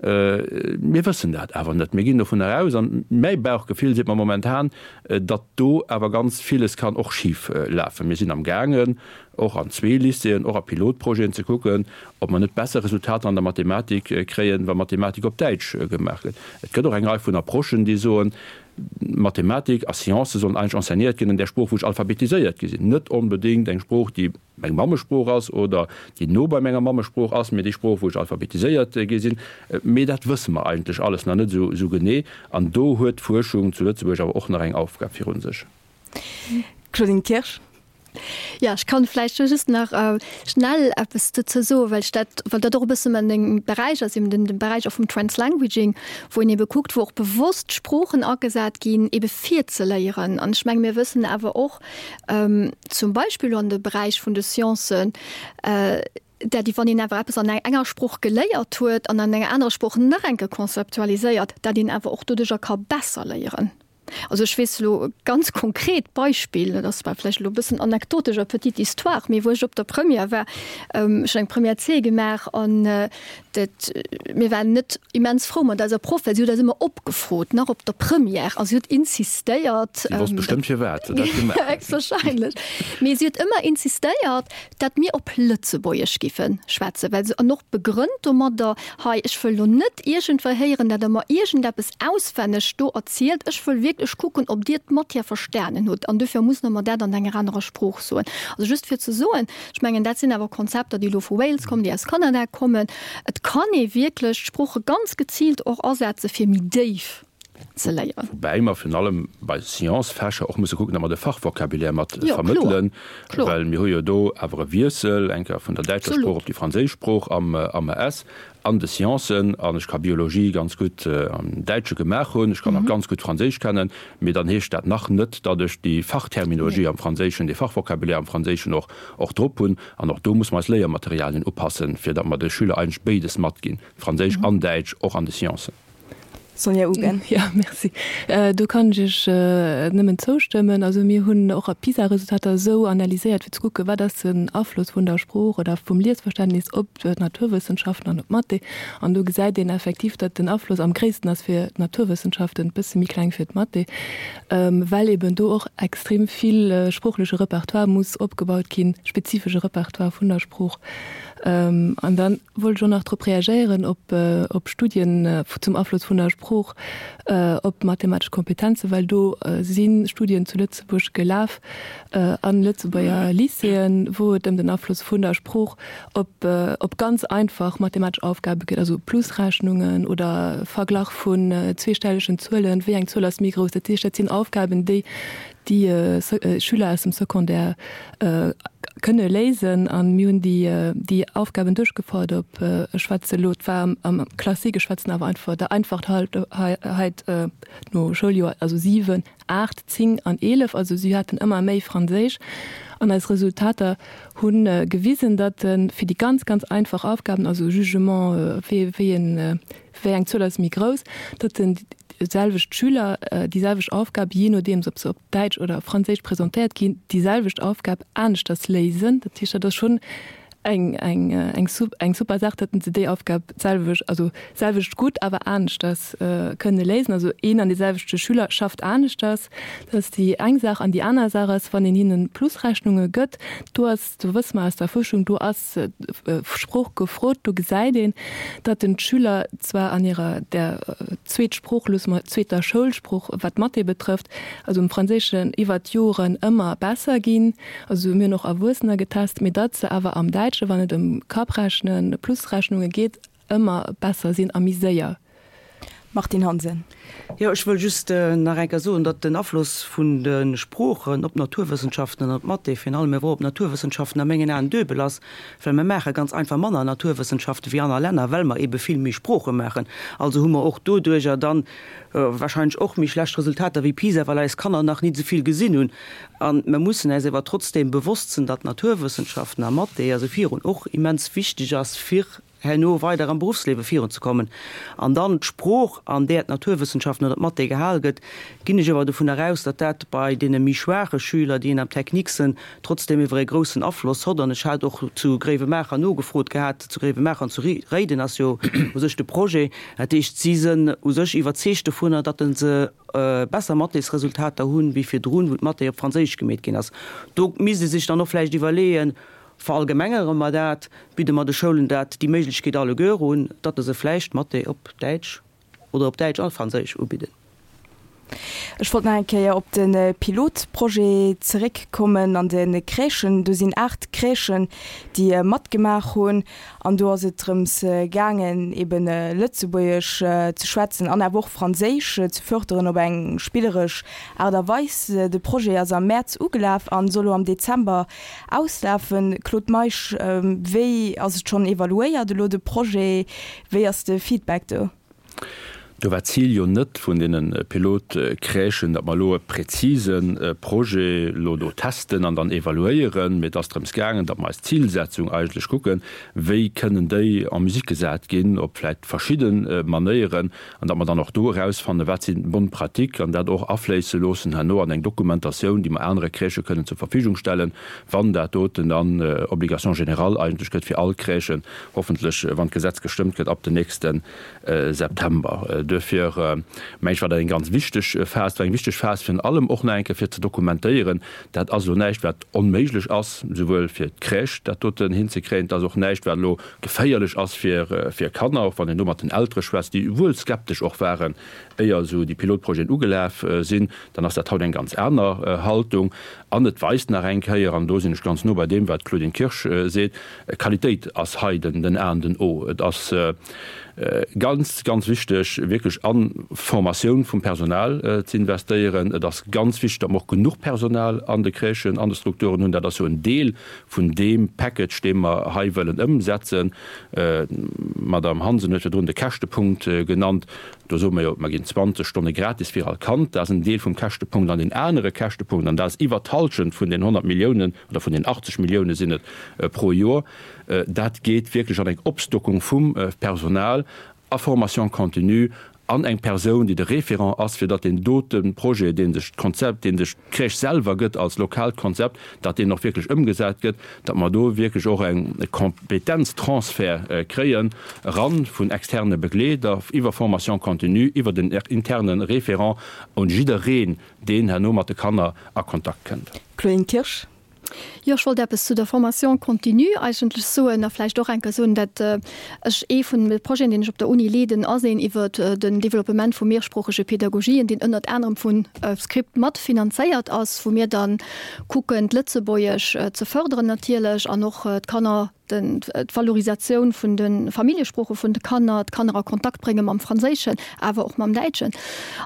G: Mir wëssen dat awer net. Mir ginn dovun eraus, an mäi Bauchgefill seet mer momentan, datt do awer ganz villes kann och schif lafen. Mir sinn am gaangen, och an zwee Lycéeën, och a Pilotprojeten ze kucken, ob mer net besser Resultater an der Mathematik kréien, wa Mathematik op Däitsch gemaach gëtt. Et gëtt och eng Rei vun Approchen, déi soen, Mathematik a Sciences sollen eigentlech enseignéiert ginn an där Sprooch, wou ech alphabetiséiert gi sinn, net onbedéngt eng Sprooch, déi meng Mammesprooch ass oder déi no bei menger Mammesprooch ass, mee déi Sprooch, wou ech alphabetiséiert gi sinn. Mee dat wësse mer eigentlech alles nach net esou genee. An do huet d'Fuerschung zu Lëtzebuerg awer och nach eng Aufgab virun sech.
B: Claudine Kirsch.
E: Jo, ech kann vläicht do just nach schnell eppes dozou soen, well ech dat, well dat och e bësse meng Beräich ass, eben den Beräich och vum Translanguaging, wou een ebe kuckt, wou och bewosst Sproochen agesat ginn, ebe fir ze léieren. An ech menge mir wëssen awer och, zum Beispill elo an de Beräich vun de Sciencen, dat wann een awer eppes an enger Sprooch geléiert huet an an enger anerer Sprooch nach eng Kéier konzeptualiséiert, dat een awer och doduerjer ka besser léieren. Also ech weess elo e ganz konkret Beispill, dat ass zwar vläicht elo e bëssen anekdotesch a petite histoire, mee wou ech op der Première war, ech hunn eng Première C gemaach an dat, mir waren net immens frou mat eiser Proff, well si huet eis ëmmer opgefrot, nach op der Première, a si huet insistéiert.
G: Si wosst bestëmmt firwat se dat gemaach huet.
E: Héchstwahrscheinlech. Mee si huet ëmmer insistéiert, dat mir op Lëtzebuergesch giffe schwätzen, well se, an och begrënnt domadder, hei, ech wëll elo net iergendwéi héieren, dat Der mer iergendeppes auswenneg do erzielt, ech wëll wierklech kucken, ob Dir d'Matière verstanen hutt, an dofir muss mer dat an enger anerer Sprooch soen. Also just fir ze soen, ech mengen, dat sinn awer Konzepter, déi elo vu Wales kommen, déi aus Kanada kommen. Et kann ee wierklech d'Sprooche ganz geziilt och asetze fir méi déif ze léieren.
G: Woubäi mer virun allem bei Sciences-Fächer och musse kucken, datt mer de Fachvocabulaire mat vermëttelen, well mir hu jo do awer e Wiessel eng Kéier vun der däitscher Sprooch op déi franséisch Sprooch am A S an de Sciencen. An ech ka Biologie ganz gutt am Däitsche gemaach hunn, ech kann och ganz gutt Franséisch kennen, mee dann heescht dat nach net, datt ech déi Fachterminologie am Franséischen, dee Fachvocabulaire am Franséischen och och drop hunn. An och do musse mer eis Léiermaterialien upassen, fir datt mer de Schüler eigentlech béides matginn, Franséisch an Däitsch, och an de Sciencen.
B: Sonja Ugen.
D: Ja, merci. Do kann ech Iech nëmmen zoustëmmen. Also mir hunn och d'PISA-Resultater esou analyséiert, fir ze kucken, wat ass den Afloss vun der Sprooch oder vum Liesverständnis op d'Naturwëssenschaften an op d'Mathé. An do gesäit een effektiv, datt den Afloss am gréissten ass fir d'Naturwëssenschaften, e bësse méi kleng fir d'Mathé, well eben do och extrem vill sproochleche Repertoire muss opgebaut ginn, spezifesche Repertoire vun der Sprooch. An dann wollt ech och nach drop reagéieren, op op Studien zum Afloss vun der Sprooch op mathematesch Kompetenzen, well do si Studien zu Lëtzebuerg gelaf an Lëtzebuerger Lycéeën, wou et ëm den Afloss vun der Sprooch op op ganz einfach mathematesch Aufgabe geet, also Plusrechnungen oder Verglach vun zweestellegen Zuelen, wéi eng Zuel ass méi grouss. Dat heescht, dat sinn Aufgaben, déi déi Schüler aus dem Secondaire kënne léisen. An mir hunn déi déi Aufgaben duerchgefouert op, ech schwätze elo, et war am Classique, ech schwätzen awer einfach der Einfachheit no, Schouljoer, also siwen, aacht, zéng an eelef. Also si haten ëmmer méi Franséisch. An eis Resultater hu gewisen, datt fir déi ganz, ganz einfach Aufgaben, also Jugement, wéi wéi en wéi eng Zuel ass méi grouss, datt den selwecht Schüler déi selwecht Aufgab, jee nodeems ob se op Däitsch oder op Franséisch presentéiert ginn, déi selwecht Aufgab aneschters léisen. Dat heescht, dat ass schonn eng, eng, eng, eng super Saach, datt se déi Aufgab d'selwecht, also selwecht gutt, awer aneschters kënne léisen. Also een an dee selwechte Schüler schafft aneschters. Dat ass déi eng Saach. An déi aner Saach ass, wann een hinne Plusrechnunge gëtt, do ass, do wësse mer aus der Fuerschung, do ass Sprooch gefrot. Do gesäit een, datt den d'Schüler zwar an hirer der Zweetsprooch, loosse mer zweeter Schoulsprooch, wat d'Mathé betrëfft, also am Franséischen iwwert d'Joren ëmmer besser ginn, also mir hunn och Erwuessener getest, mee datt se awer am Däitsche, wann et ëm Kapprechnen, Plusrechnunge geet, ëmmer besser sinn a méi séier.
B: Martine Hansen.
F: Jo, ech wëll just nach eng Kéier soen, datt den Afloss vun de Sproochen op d'Naturwëssenschaften an op d'Mathé, virun allem awer och op d'Naturwëssenschaften, a mengen Aen duebel ass, well mer maache ganz einfach manner Naturwëssenschaften wéi aner Länner, well mer ebe vill méi Sprooche maachen. Also hu mer och doduerjer dann wahrscheinlech och méi schlecht Resultater wéi PISA, well eis Kanner nach nit esou vill gesinn hunn. A mer mussen äis awer trotzdeem bewosst sinn, datt Naturwëssenschaften a Mathé also virun och immens wichteg ass fir herno weider am Beruffsliewe virunzekommen. An dann d'Sprooch, an där d'Naturwëssenschaften oder d'Mathé gehal gëtt, ginn ech awer dovun eraus, datt dat bei deene méi schwaache Schüler, déi een am Technique sënn, trotzdeem iwwer e groussen Afloss hott. An ech hat och zu Gréiwemaacher nogefrot gehat, zu Gréiwemaacher an zu Réiden ass jo u sech de Projet, dat heescht, si sënn u sech iwwerzeegt dovunner, datt se besser Mathésresultater hunn wéi virdrun, wou d'Mathé op Franséisch gemeet ginn ass. Do misst ee sech dann och vläicht iwwerleeën, Verallgemengere mer dat, bidde mer de Schoulen dat, déi Méiglechkeet alleguer un, datt se vläicht Mathé op Däitsch oder op Däitsch a Franséisch ubidden.
B: Ech wollt nach eng Kéier op de Pilotprojet zeréckkommen an de Crèchen. Do sinn aacht Crèchen, déi matgemaach hunn. An do ass et drëms gaangen, eben Lëtzebuergesch ze schwätzen an awer och Franséisch ze fërderen op eng spilleresch Aart a Weis. De Projet ass am Mäerz ugelaf an soll elo am Dezember auslafen. Claude Meisch, wéi ass et schonn evaluéiert elo de Projet? Wéi ass de Feedback do?
G: Do war d'Zil jo net vun deene Pilotcrèchen, datt mer elo e präzise Projet elo do testen an dann evaluéieren, mee et ass drëms gaangen, datt mer eis Zilsetzung eigentlech kucken, wéi kënnen déi en musique gesat ginn op vläicht verschidde Manéieren, an datt mer dann och do erausfannen, wat sinn d'bonnes pratiques, an dat och afléisse loossen herno an eng Dokumentatioun, déi mer anere Crèchë kënnen zur Verfügung stellen, wann dat doten dann Obligation générale eigentlech gëtt fir all Crèchen, hoffentlech, wann d'Gesetz gestëmmt gëtt, ab den nächste September. Duerfir mengen ech, war dat eng ganz wichteg Phas. Et war eng wichteg Phas virun allem och nach eng Kéier fir ze dokumentéieren, dat ass elo näischt, wat onméiglech ass, souwuel fir d'Crèche dat doten hinzekréien, et ass och näischt, wat elo geféierlech ass fir Kanner, och wann een do mat den Eltere schwätzt, déi wuel skeptesch och waren, éier esou déi Pilotprojeten ugelaf sinn, dann ass dat haut eng ganz aner Haltung. An et weist nach eng Kéier, an do sinn ech ganz no bei deem, wat d'Claudine Kirsch seet, Qualitéit ass hei den A an den O. Et ass ganz, ganz wichteg, wierklech a Formatioun vum Personal ze investéieren. Et ass ganz wichteg, datt mer och genuch Personal an de Crèchen, an de Strukturen hunn. Dat ass jo en Deel vun deem Package, dee mer hei wëllen ëmsetzen. D'Madame Hansen huet virdrun de Käschtepunkt genannt. Do soe mer jo, mer ginn zwanzeg Stonne gratis fir all Kand. Dat ass en Deel vum Käschtepunkt. An deen anere Käschtepunkt, an dat ass iwwert d'Hallschent vun den honnert Milliounen oder vun den achtzeg Millioune sinn et pro Joer, dat geet wierklech an eng Opstockung vum Personal a Formation continue an eng Persoun, déi de Référent ass, fir datt deen dote Projet, dee sech d'Konzept, dee sech d'Crèche selwer gëtt als lokaalt Konzept, datt deen och wierklech ëmgesat gëtt, datt mer do wierklech och e Kompetenztransfert kréien eran vun externe Begleeder iwwer Formation continue, iwwer den interne Référent un jiddereen, deen herno mat de Kanner a Kontakt kënnt.
B: Claudine Kirsch.
E: Jo, ech wollt eppes zu der Formation continue eigentlech soen a vläicht och eng Kéier soen, dat ech ee vun de Projeten, deen ech op der Uni leeden, ass een iwwert den Développement vu mehrsproochege Pädagogien, deen ënnert anerem vu Script mat finanzéiert ass, wou mir dann kucken, d'Lëtzebuergesch ze fërderen natierlech an och d'Kanner, d'Valorisatioun vun de Familljesprooche vun de Kanner, d'Kanner a Kontakt brénge mam Franséischen, awer och mam Däitschen.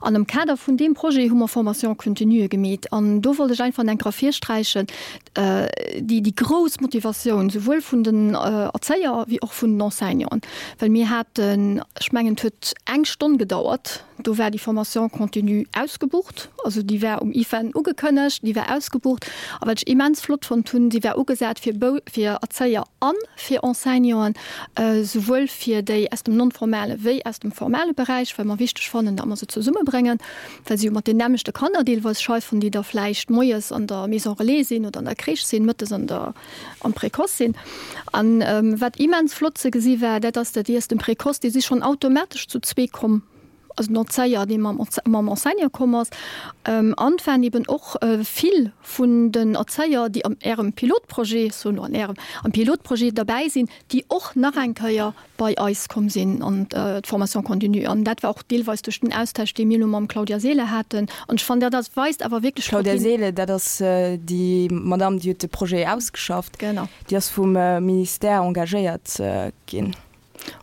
E: An am Kader vun deem Projet hu mer Formation continue gemeet. An do wollt ech einfach enk ervirsträichen, déi, déi grouss Motivatioun, souwuel vun den Erzéier wéi och vun den Enseignanten. Well mir haten, ech mengen, et huet eng Stonn gedauert, do war déi Formation continue ausgebucht. Also déi war um IFEN ugekënnegt, déi war ausgebucht. A wat ech immens flott fonnt hunn, si war ugesat fir Bou, fir Erzéier a fir Enseignanten, souwuel fir déi aus dem non-formale wéi aus dem formale Beräich, well mer wichteg fannen, datt mer se zesummebréngen, well se jo mat den nämmlechte Kanner deelweis scheiffen, déi da vläicht moies an der Maison relais sinn oder an der Crèche sinn, mëttes an der, am Précoce sinn. An wat immens flott ze gesi war, dat ass, datt déi aus dem Précoce, déi si schonn automatesch zu zwee komm, also den Erzéier, dee mam, mam Enseignant komm ass, an et waren eben och vill vun den Erzéier, déi am Ärem Pilotprojet, ech soen elo an Ärem, am Pilotprojet derbäi sinn, déi och nach eng Kéier bei eis komm sinn an d'Formation continue. An dat war och deelweis duerch den Austausch, dee mir elo mam Claudia Seele haten. An ech fannen, dat ass, weist awer wierklech drop
B: Claudia
E: hin.
B: Seele, dat ass déi Madame, déi huet de Projet ausgeschafft.
E: Genau.
B: Déi ass vum Ministère engagéiert ginn.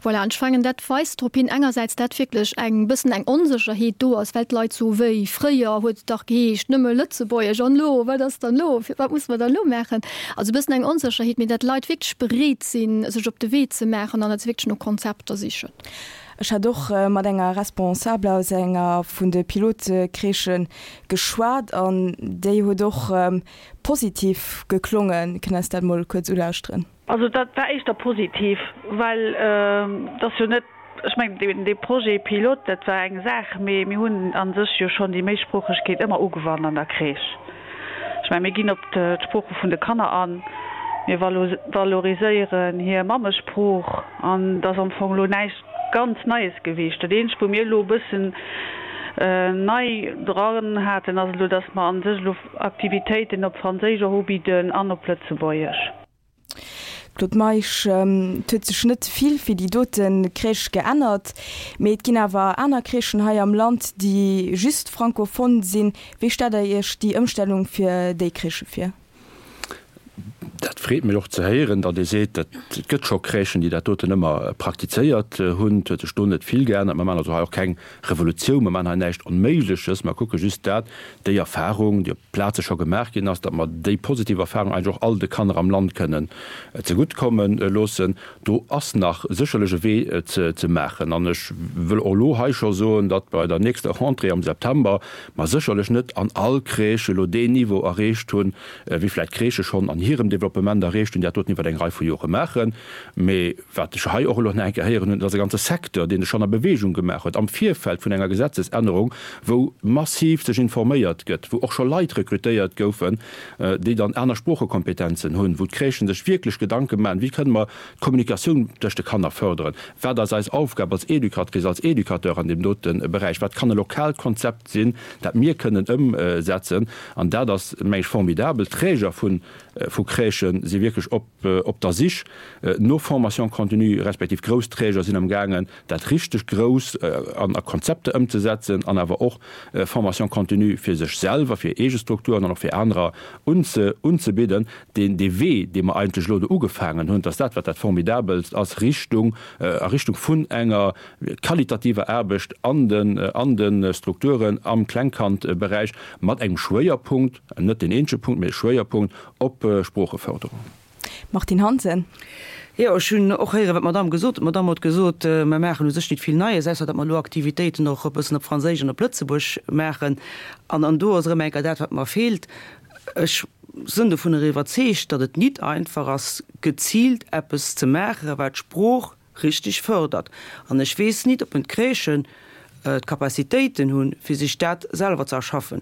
E: Voilà, an ech mengen, dat weist drop hin, engersäits, dat wierklech eng bëssen eng Onsécherheet do ass, well d'Leit soen, Wéi, fréier huet et dach geheescht, nëmme Lëtzebuergesch, an elo, wat ass dann elo, wat musse mer dann elo maachen? Also e bëssen eng Onsécherheet, mee dat d'Leit wierklech bereet sinn, sech op de Wee ze maachen an dat se wierklech no Konzepter sichen.
B: Ech hat och mat enger Responsabler aus enger vun de Pilotcrèchen geschwat an déi huet och positiv geklongen. Kënnt eis dat mol kuerz ulauschteren.
H: Also dat war éischter positiv, well et ass jo net, ech mengen dee Projet pilote, dat war eng Saach, mee mir hunn a sech jo schonn déi Méisproochegkeet ëmmer ugewannt an der Crèche. Ech mengen, mir ginn op d'Sprooche vun de Kanner an, mir valoriséieren hir Mammesprooch an et ass am Fong elo näischt ganz Neies gewiescht. Dat eenzegt, wou mir elo e bëssen nei dran haten, ass elo, datt mer a sech elo Aktivitéiten op Franséisch och ubidden an op Lëtzebuergesch.
B: Claude Meisch, Et huet sech net vill fir déi dote Crèche geännert, mee et ginn awer aner Crèchen hei am Land, déi just francophone sinn. Wéi stellt Der Iech déi Ëmstellung fir déi Crèchë vir?
G: Dat freet mech och ze héieren, datt Dir seet, et gëtt scho Crèchen, déi dat doten ëmmer praktizéiert hunn. Et huet sech do net vill geännert. Mer maachen also hei och keng Revolutioun, mer maachen hei näischt Onméigleches. Mer kucke just dat, déi Erfahrung, déi op Plaze scho gemaach ginn ass, datt mer déi positiv Erfahrung eigentlech och all de Kanner am Land kënnen zeguttkomme loossen. Do ass nach sécherlech e Wee ze maachen. An ech wëll och elo hei scho soen, datt bei der nächster Rentrée am September mer sécherlech net an all Crèche elo deen Niveau erreecht hunn, wéi vläicht Crèchë schonn an hirem Developpement erreecht hunn, déi dat doten iwwer eng Rei vu Jore maachen. Mee wat ech hei och elo nach eng Kéier héieren hunn, et ass e ganze Secteur, deen sech schonn a Bewegung gemaach huet am Virfeld vun enger Gesetzesännerung, wou massiv sech informéiert gëtt, wou och scho Leit rekrutéiert goufen, déi dann aner Sproochekompetenzen hunn, wou d'Crèchen sech wierklech Gedanke maachen, wéi kënne mer d'Kommunikatioun tëscht de Kanner fërderen, wat ass eis Aufgab als Educatrice, als Educateur an deem dote Beräich, wat kann e lokaalt Konzept sinn, dat mir kënnen ëmsetzen. An dat ass, meng ech, formidabel. D'Träger vu Crèchë si wierklech op der Sich no Formation continue, respektiv grouss Träger sinn amgaangen, dat richteg grouss an a Konzepter ëmzesetzen an awer och Formation continue fir sech selwer, fir eege Strukturen an och fir anerer unzebidden. Deen Wee, dee mer eigentlech elo do ugefaangen hunn, dat ass dat, wat dat Formidabelst ass, Richtung, a Richtung vun enger qualitativer Aarbecht an den, an de Strukturen am Klengkandberäich mat engem Schwéierpunkt, net deen eenzege Punkt, mee e Schwéierpunkt op Sproocheförderung.
B: Martine Hansen.
F: Jo, ech hunn och héieren, wat d'Madame gesot huet. D'Madame huet gesot, mer maachen u sech nit vill Neies, ausser datt mer elo Aktivitéiten och e bëssen op Franséisch an op Lëtzebuerg maachen. An, an do ass erëm eng Kéier dat, wat mer feelt. Ech sënn dovunner iwwerzeegt, datt et nit einfach ass, geziilt eppes ze maachen, wat d'Sprooch richteg fërdert. An ech weess nit, ob en d'Crèchen d'Capacitéiten hunn, fir sech dat selwer ze erschaffen.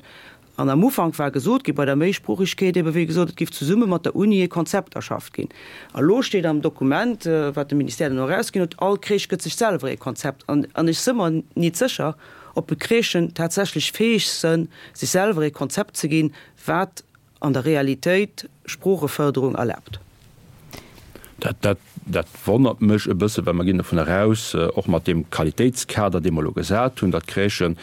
F: An am Ufank war gesot gi bei der Méisproochegkeet ebe wéi gesot, et géif zesumme mat der Uni e Konzept erschafft ginn. A lo steet am Dokument, wat de Ministère dann och erausginn huet, all Crèche gëtt sech selwer ee Konzept. An ech si mer nit sécher, ob d'Crèchen tatsächlech fäeg sënn, sech selwer ee Konzept ze ginn, wat an der Realitéit Sproochefërderung erlaabt.
G: Dat, dat wonnert mech e bësse, well mer ginn dovun eraus, och mat deem Qualitéitskader, dee mer elo gesat hunn, datt d'Crèchen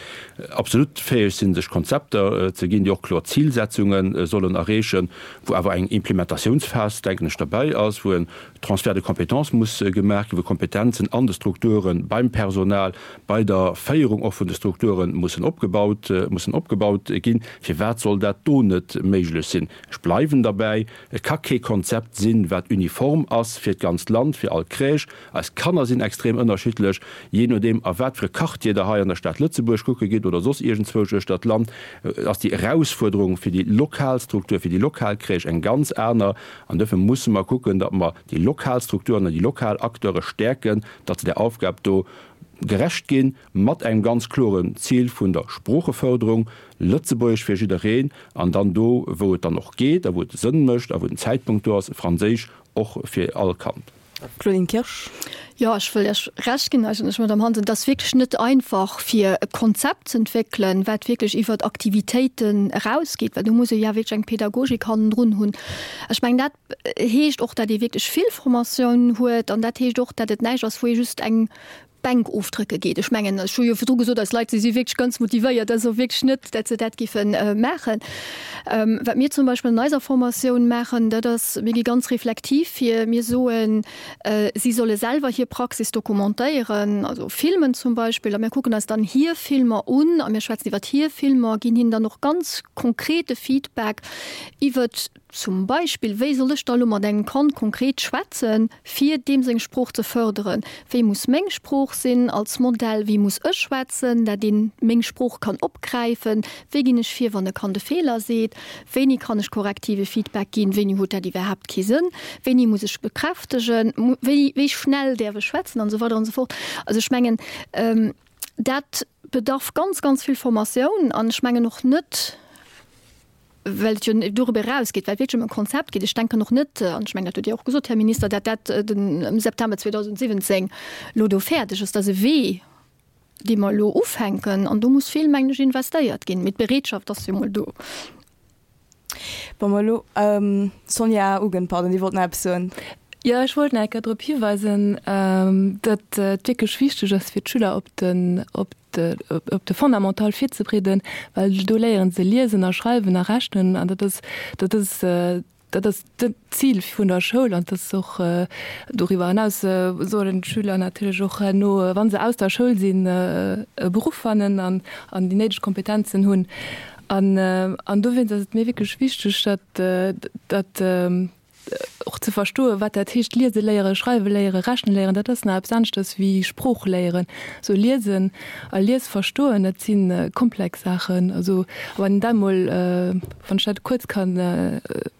G: absolut fäeg sinn, sech Konzepter ze ginn, déi och kloer Zilsetzunge sollen erreechen, wou awer eng Implementatiounsphas, denken ech, derbäi ass, wou en Transfert de compétences muss gemaach ginn, wou Kompetenzen an de Strukture beim Personal, bei der Féierung och vun de Strukture mussen opgebaut, mussen opgebaut ginn. Firwat soll dat do net méiglech sinn? Ech bleiwen derbäi, Et ka kee Konzept sinn, wat uniform ass fir d'ganzt Land, fir all Crèche. Eis Kanner sinn extrem ënnerschiddlech. Jee nodeem, a wat fir e Quartier Der hei an der Stad Lëtzebuerg kucke gitt oder soss iergendzwousch uechter d'Land, ass déi Erausfuerderung fir déi lokal Struktur, fir déi lokal Crèche eng ganz aner. An duerfir musse mer kucken, datt mer déi lokal Strukturen an déi lokal Acteure stäerken, datt se där Aufgab do gerecht ginn, mat engem ganz kloren Zil vun der Sproocheförderung, Lëtzebuergesch fir jiddereen, an dann do, wou et dann och geet a wou et Sënn mécht a wou den Zäitpunkt do ass, Franséisch och fir all Kand.
B: Claudine Kirsch.
E: Jo, ech wëll Iech Recht ginn eigentlech, Madame Hansen. Et ass wierklech net einfach, fir e Konzept ze entwéckelen, wat wierklech iwwert Aktivitéiten erausgeet, well do muss ee ja wierklech eng Pädagogik hannendrun hunn. Ech mengen, dat heescht och, datt ee wierklech vill Formatioun huet an dat heescht och, datt et näischt ass, wou ee just eng d'Bänk ofdrécke geet. Ech mengen, ech hu jo virdru gesot, eis Leit, si si wierklech ganz motivéiert, dat ass och wierklech net, dat se dat géife maachen. Wat mir zum Beispill an eiser Formatioun maachen, dat ass, mir gi ganz reflektiv vir. Mir soen, si solle selwer hir Praxis dokumentéieren, also filmen zum Beispill, a mir kucken eis dann hir Filmer un a mir schwätzen iwwert hir Filmer, ginn hinnen dann och ganz konkrete Feedback iwwert zum Beispill, wéi soll ech da elo mat engem Kand konkret schwätzen, fir deem seng Sprooch ze fërderen? Wéi muss meng Sprooch sinn als Modell? Wéi muss ech schwätzen, dat een meng Sprooch kann opgräifen? Wéi ginn ech vir, wann e Kand e Feeler seet? Wéini kann ech korrektive Feedback ginn? Wéini huet dat iwwerhaapt kee Sënn? Wéini muss ech bekräftegen? Wéi, wéi schnell däerf ech schwätzen? An esou weider an esou fort. Also ech mengen, dat bedarf ganz, ganz vill Formatioun an ech mengen och net, well et jo doriwwer erausgeet, well et wierklech ëm e Konzept geet. Ech denken och net, an ech mengen, dat hutt Dir och gesot, Här Minister, dat dat den am September zweedausendsiwwenzéng elo do fäerdeg ass. Dat ass e Wee, dee mer elo ufänken, an do muss vill, mengen ech, investéiert ginn. Mee d'Bereetschaft ass jo mol do.
B: Wa mer elo, Sonja Ugen, pardon, Dir wollt nach eppes soen.
D: Jo, ech wollt nach eng Kéier drop hiweisen, datt et wierklech wichteg ass fir d'Schüler op den, op de, op de Fondamental virzebereeden, well do léiere se liesen a schreiwen a rechnen an dat ass, dat ass, dat ass d'Zil vun der Schoul an dat ass och doriwwer eraus sollen d'Schüler natierlech och herno, wa se aus der Schoul sinn, e Beruff fannen an, an déi néideg Kompetenzen hunn. An, an dowéinst ass et mir wierklech wichteg, datt, datt och ze verstoen, wat dat heescht, liese léieren, schreiwe léieren, rechne léieren, dat ass nach eppes aneschters wéi Sprooch léieren. Sou liesen a liesverstoen, dat si komplex Saachen. Also wann een dat emol, wann ech dat kuerz kann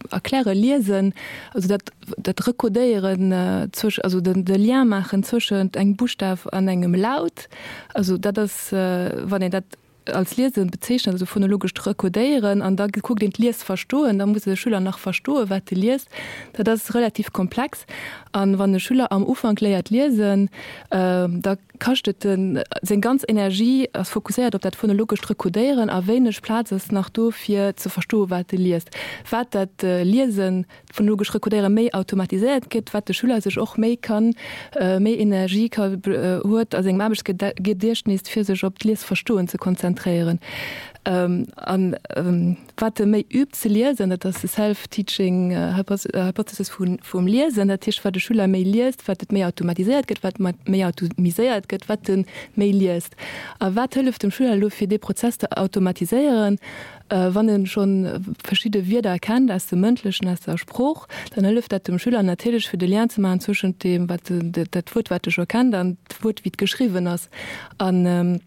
D: erklären, liesen, also dat, dat Recodéieren zwësch, also den, de Lien maachen zwëschent engem Buschtaf an engem Laut, also dat ass, wann een dat als Liesen bezeechnen, also phonologescht Recodéieren, an da kuckt een d'Liesverstoen, da muss de Schüler nach verstoen, wat e liest. Dat ass relativ komplex. An wann e Schüler am Ufank léiert liesen, da kascht et en, seng ganz Energie ass fokusséiert op dat phonologescht Recodéieren a wéineg Plaz ass nach do fir ze verstoen, wat e liest. Wat dat Liesen, d'phonologesch Recodéiere méi automatiséiert gëtt, wat de Schüler sech och méi kann, méi Energie ka huet a sengem Aarbechtsgediechtnis, fir sech op d'Liesverstoen ze konzentréieren. An wat e méi übt ze liesen, dat ass de Self-Teaching Hypothesis vum Liesen, dat heescht, wat de Schüler méi liest, wat et méi automatiséiert gëtt, wat méi automiséiert gëtt, wat e méi liest. A wat hëlleft dem Schüler elo, fir dee Prozess ze automatiséieren? Wann e schonn verschidde Wierder kennt aus dem Mëndlechen, aus der Sprooch, dann hëlleft dat dem Schüler natierlech, fir de Lien ze maachen zwëschent deem, wat dat Wuert, wat e scho kennt, an d'Wuert, wéi et geschriwwen ass. An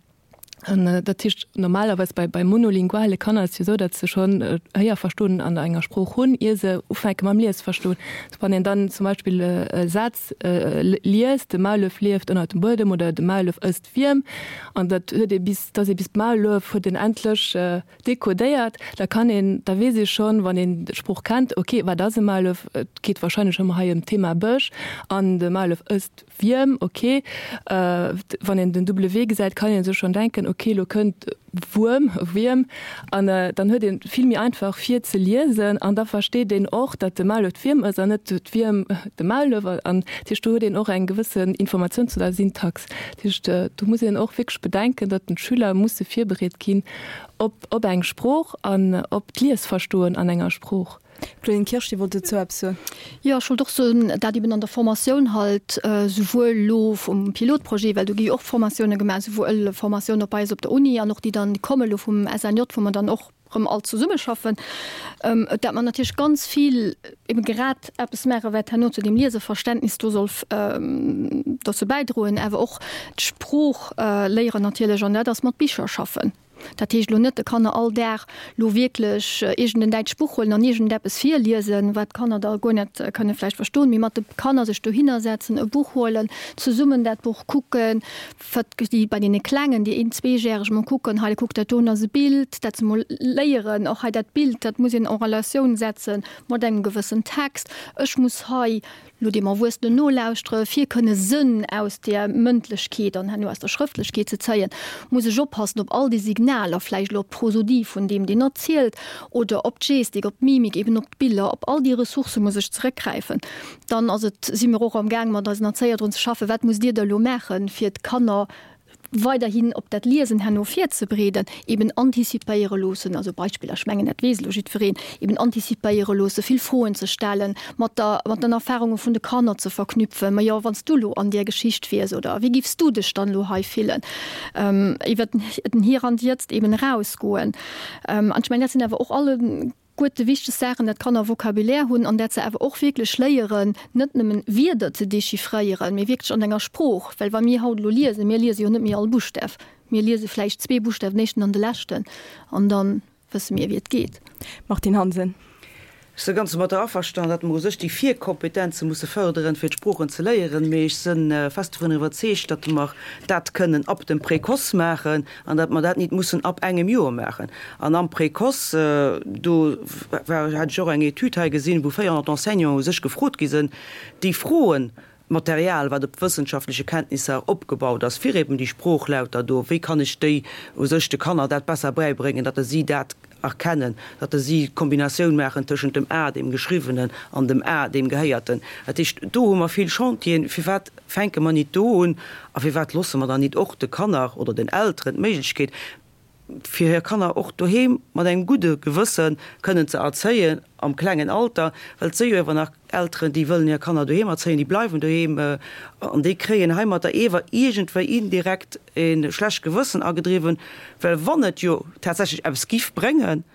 D: dat heescht, normalerweis bei, bei monolinguale Kanner ass et jo esou, datt se schonn Héierverstoen an enger Sprooch hunn, ier se ufänke mam Liesverstoen. Wann een dann zum Beispill e Saz liest, De Maulef lieft ënnert dem Buedem oder De Maulef ësst Wierm, an dat huet ee bis, dass ee bis d'Maulef huet een endlech dekodéiert, da kann een, da weess ee schonn, wann een d'Sprooch kennt, ok, wat ass e Maulef? Et geet warscheinlech ëmmer hei ëm d'Thema Bësch an de Maulef ësst Wierm, ok. Wann een den W gesäit, kann ee sech schonn denken, ok, elo kënnt Wuerm, Wierm, an dann huet ee vill méi einfach fir ze liesen an da versteet een och, datt de Maulef d'Wierm ësst an net d'Wierm de Maulef. An dat heescht, do huet een och eng gewëssen Informatioun zu der Syntax. Dat heescht, do muss een och wierklech bedenken, datt den d'Schüler musse virbereet ginn op op eng Sprooch an op d'Liesverstoen an enger Sprooch.
B: Claudine Kirsch, Dir wollt dozou eppes soen?
E: Jo, ech wollt och soen, dat eben an der Formatioun halt, souwuel elo vum Pilotprojet, well do gi jo och Formatioune gemaach, souwuel Formatioun op eis op der Uni an och déi dann komme elo vum S N J, wou mer dann och erëm all zesummeschaffen, dat mer natierlech ganz vill eben grad eppes maachen, wat herno zu deem Lieseverständnis do soll dozou bäidroen, awer och d'Sprooch léieren natierlech, an dat ass mat Bicher schaffen. Dat heescht elo net de Kanner all Dag elo wierklech iergend en däitscht Buch huelen an iergend eppes virliesen, wat d'Kanner da guer net kënne vläicht verstoen, mee mat de Kanner sech dohinner setzen, e Buch huelen, zesummen dat Buch kucken, wat déi bei deene Klengen, déi een-, zweejäreg mol kucken, hei kuck dat doen ass e Bild, dat se mol léieren, och hei dat Bild, dat muss een en Relatioun setze mat engem gewëssen Text, ech muss hei lo deem Erwuessenen nolauschtere fir kënne Sënn aus där Mëndlechkeet an herno aus der Schrëftlechkeet ze zéien, muss ech oppassen op all déi Signaler, Signaler, vläicht elo op d'Prosodie vun deem, deen erzielt, oder op d'Gestik, op d'Mimik, eben op d'Biller, op all déi Ressourcë muss ech zeréckgräifen. Dann ass et, si mir och amgaang mat eisen Erzéier drun ze schaffen, wat musst Dir da elo maachen, fir d'Kanner weiderhin op dat Liesen herno virzebereeden, eben antizipéiere loossen, also Beispiller, ech mengen dat weess elo jiddwereen, eben antizipéiere loossen, vill Froen ze stellen, mat der, mat den Erfahrunge vun de Kanner ze verknüpfen, Ma jo, wann s du elo an där Geschicht wiers oder wéi giffs du dech dann elo hei fillen? Iwwer den Hier und Jetzt eben erausgoen. An ech mengen, dat sinn awer och alle guete wichteg Saachen, dat d'Kanner Vocabulaire hunn an dat se awer och wierklech léieren, net nëmmen Wierder ze dechiffréieren, mee wierklech an enger Sprooch. Well wa mir haut elo liesen, mir liese jo net méi all Buschtaf, mir liese vläicht zwee Buschtaf, den éischten an de leschten, an da wësse mir, wéi et geet.
B: Martine Hansen.
F: Ech si ganz domatter averstanen, datt mer u sech déi Virkompetenze musse fërderen, fir d'Sproochen ze léieren, mee ech si fest dovunner iwwerzeegt, datt mer dat kënnen ab dem Précoce maachen an datt mer dat nit mussen ab engem Joer maachen. An am Précoce, do war, hat ech och eng Etüd hei gesinn, wou véierhonnert Enseignanten u sech gefrot gi sinn, déi Froen, Material, wat op wëssenschaftleche Kenntnisser opgebaut ass, fir eben déi Sproochlauter do, wéi kann ech déi u sech de Kanner dat besser bäibréngen, datt si dat erkennen, datt si d'Kombinatioun maachen tëschent dem A, deem Geschriwwenen, an dem A, deem Gehéierten. Dat heescht, do hu mer vill Chantieren. Firwat fänke mer nit do un a firwat loosse mer dann nit och de Kanner oder den Elteren d'Méiglechkeet, fir hir Kanner och doheem mat engem gudde Gewësse kënnen ze erzéien am klengen Alter, well et si jo ewer nach Elteren, déi wëllen hir Kanner doheem erzéien, déi bleiwen doheem an déi kréien heimatter ewer iergendwéi indirekt e schlecht Gewëssen agedriwwen, well wann et jo tatsächlech eppes giff bréngen,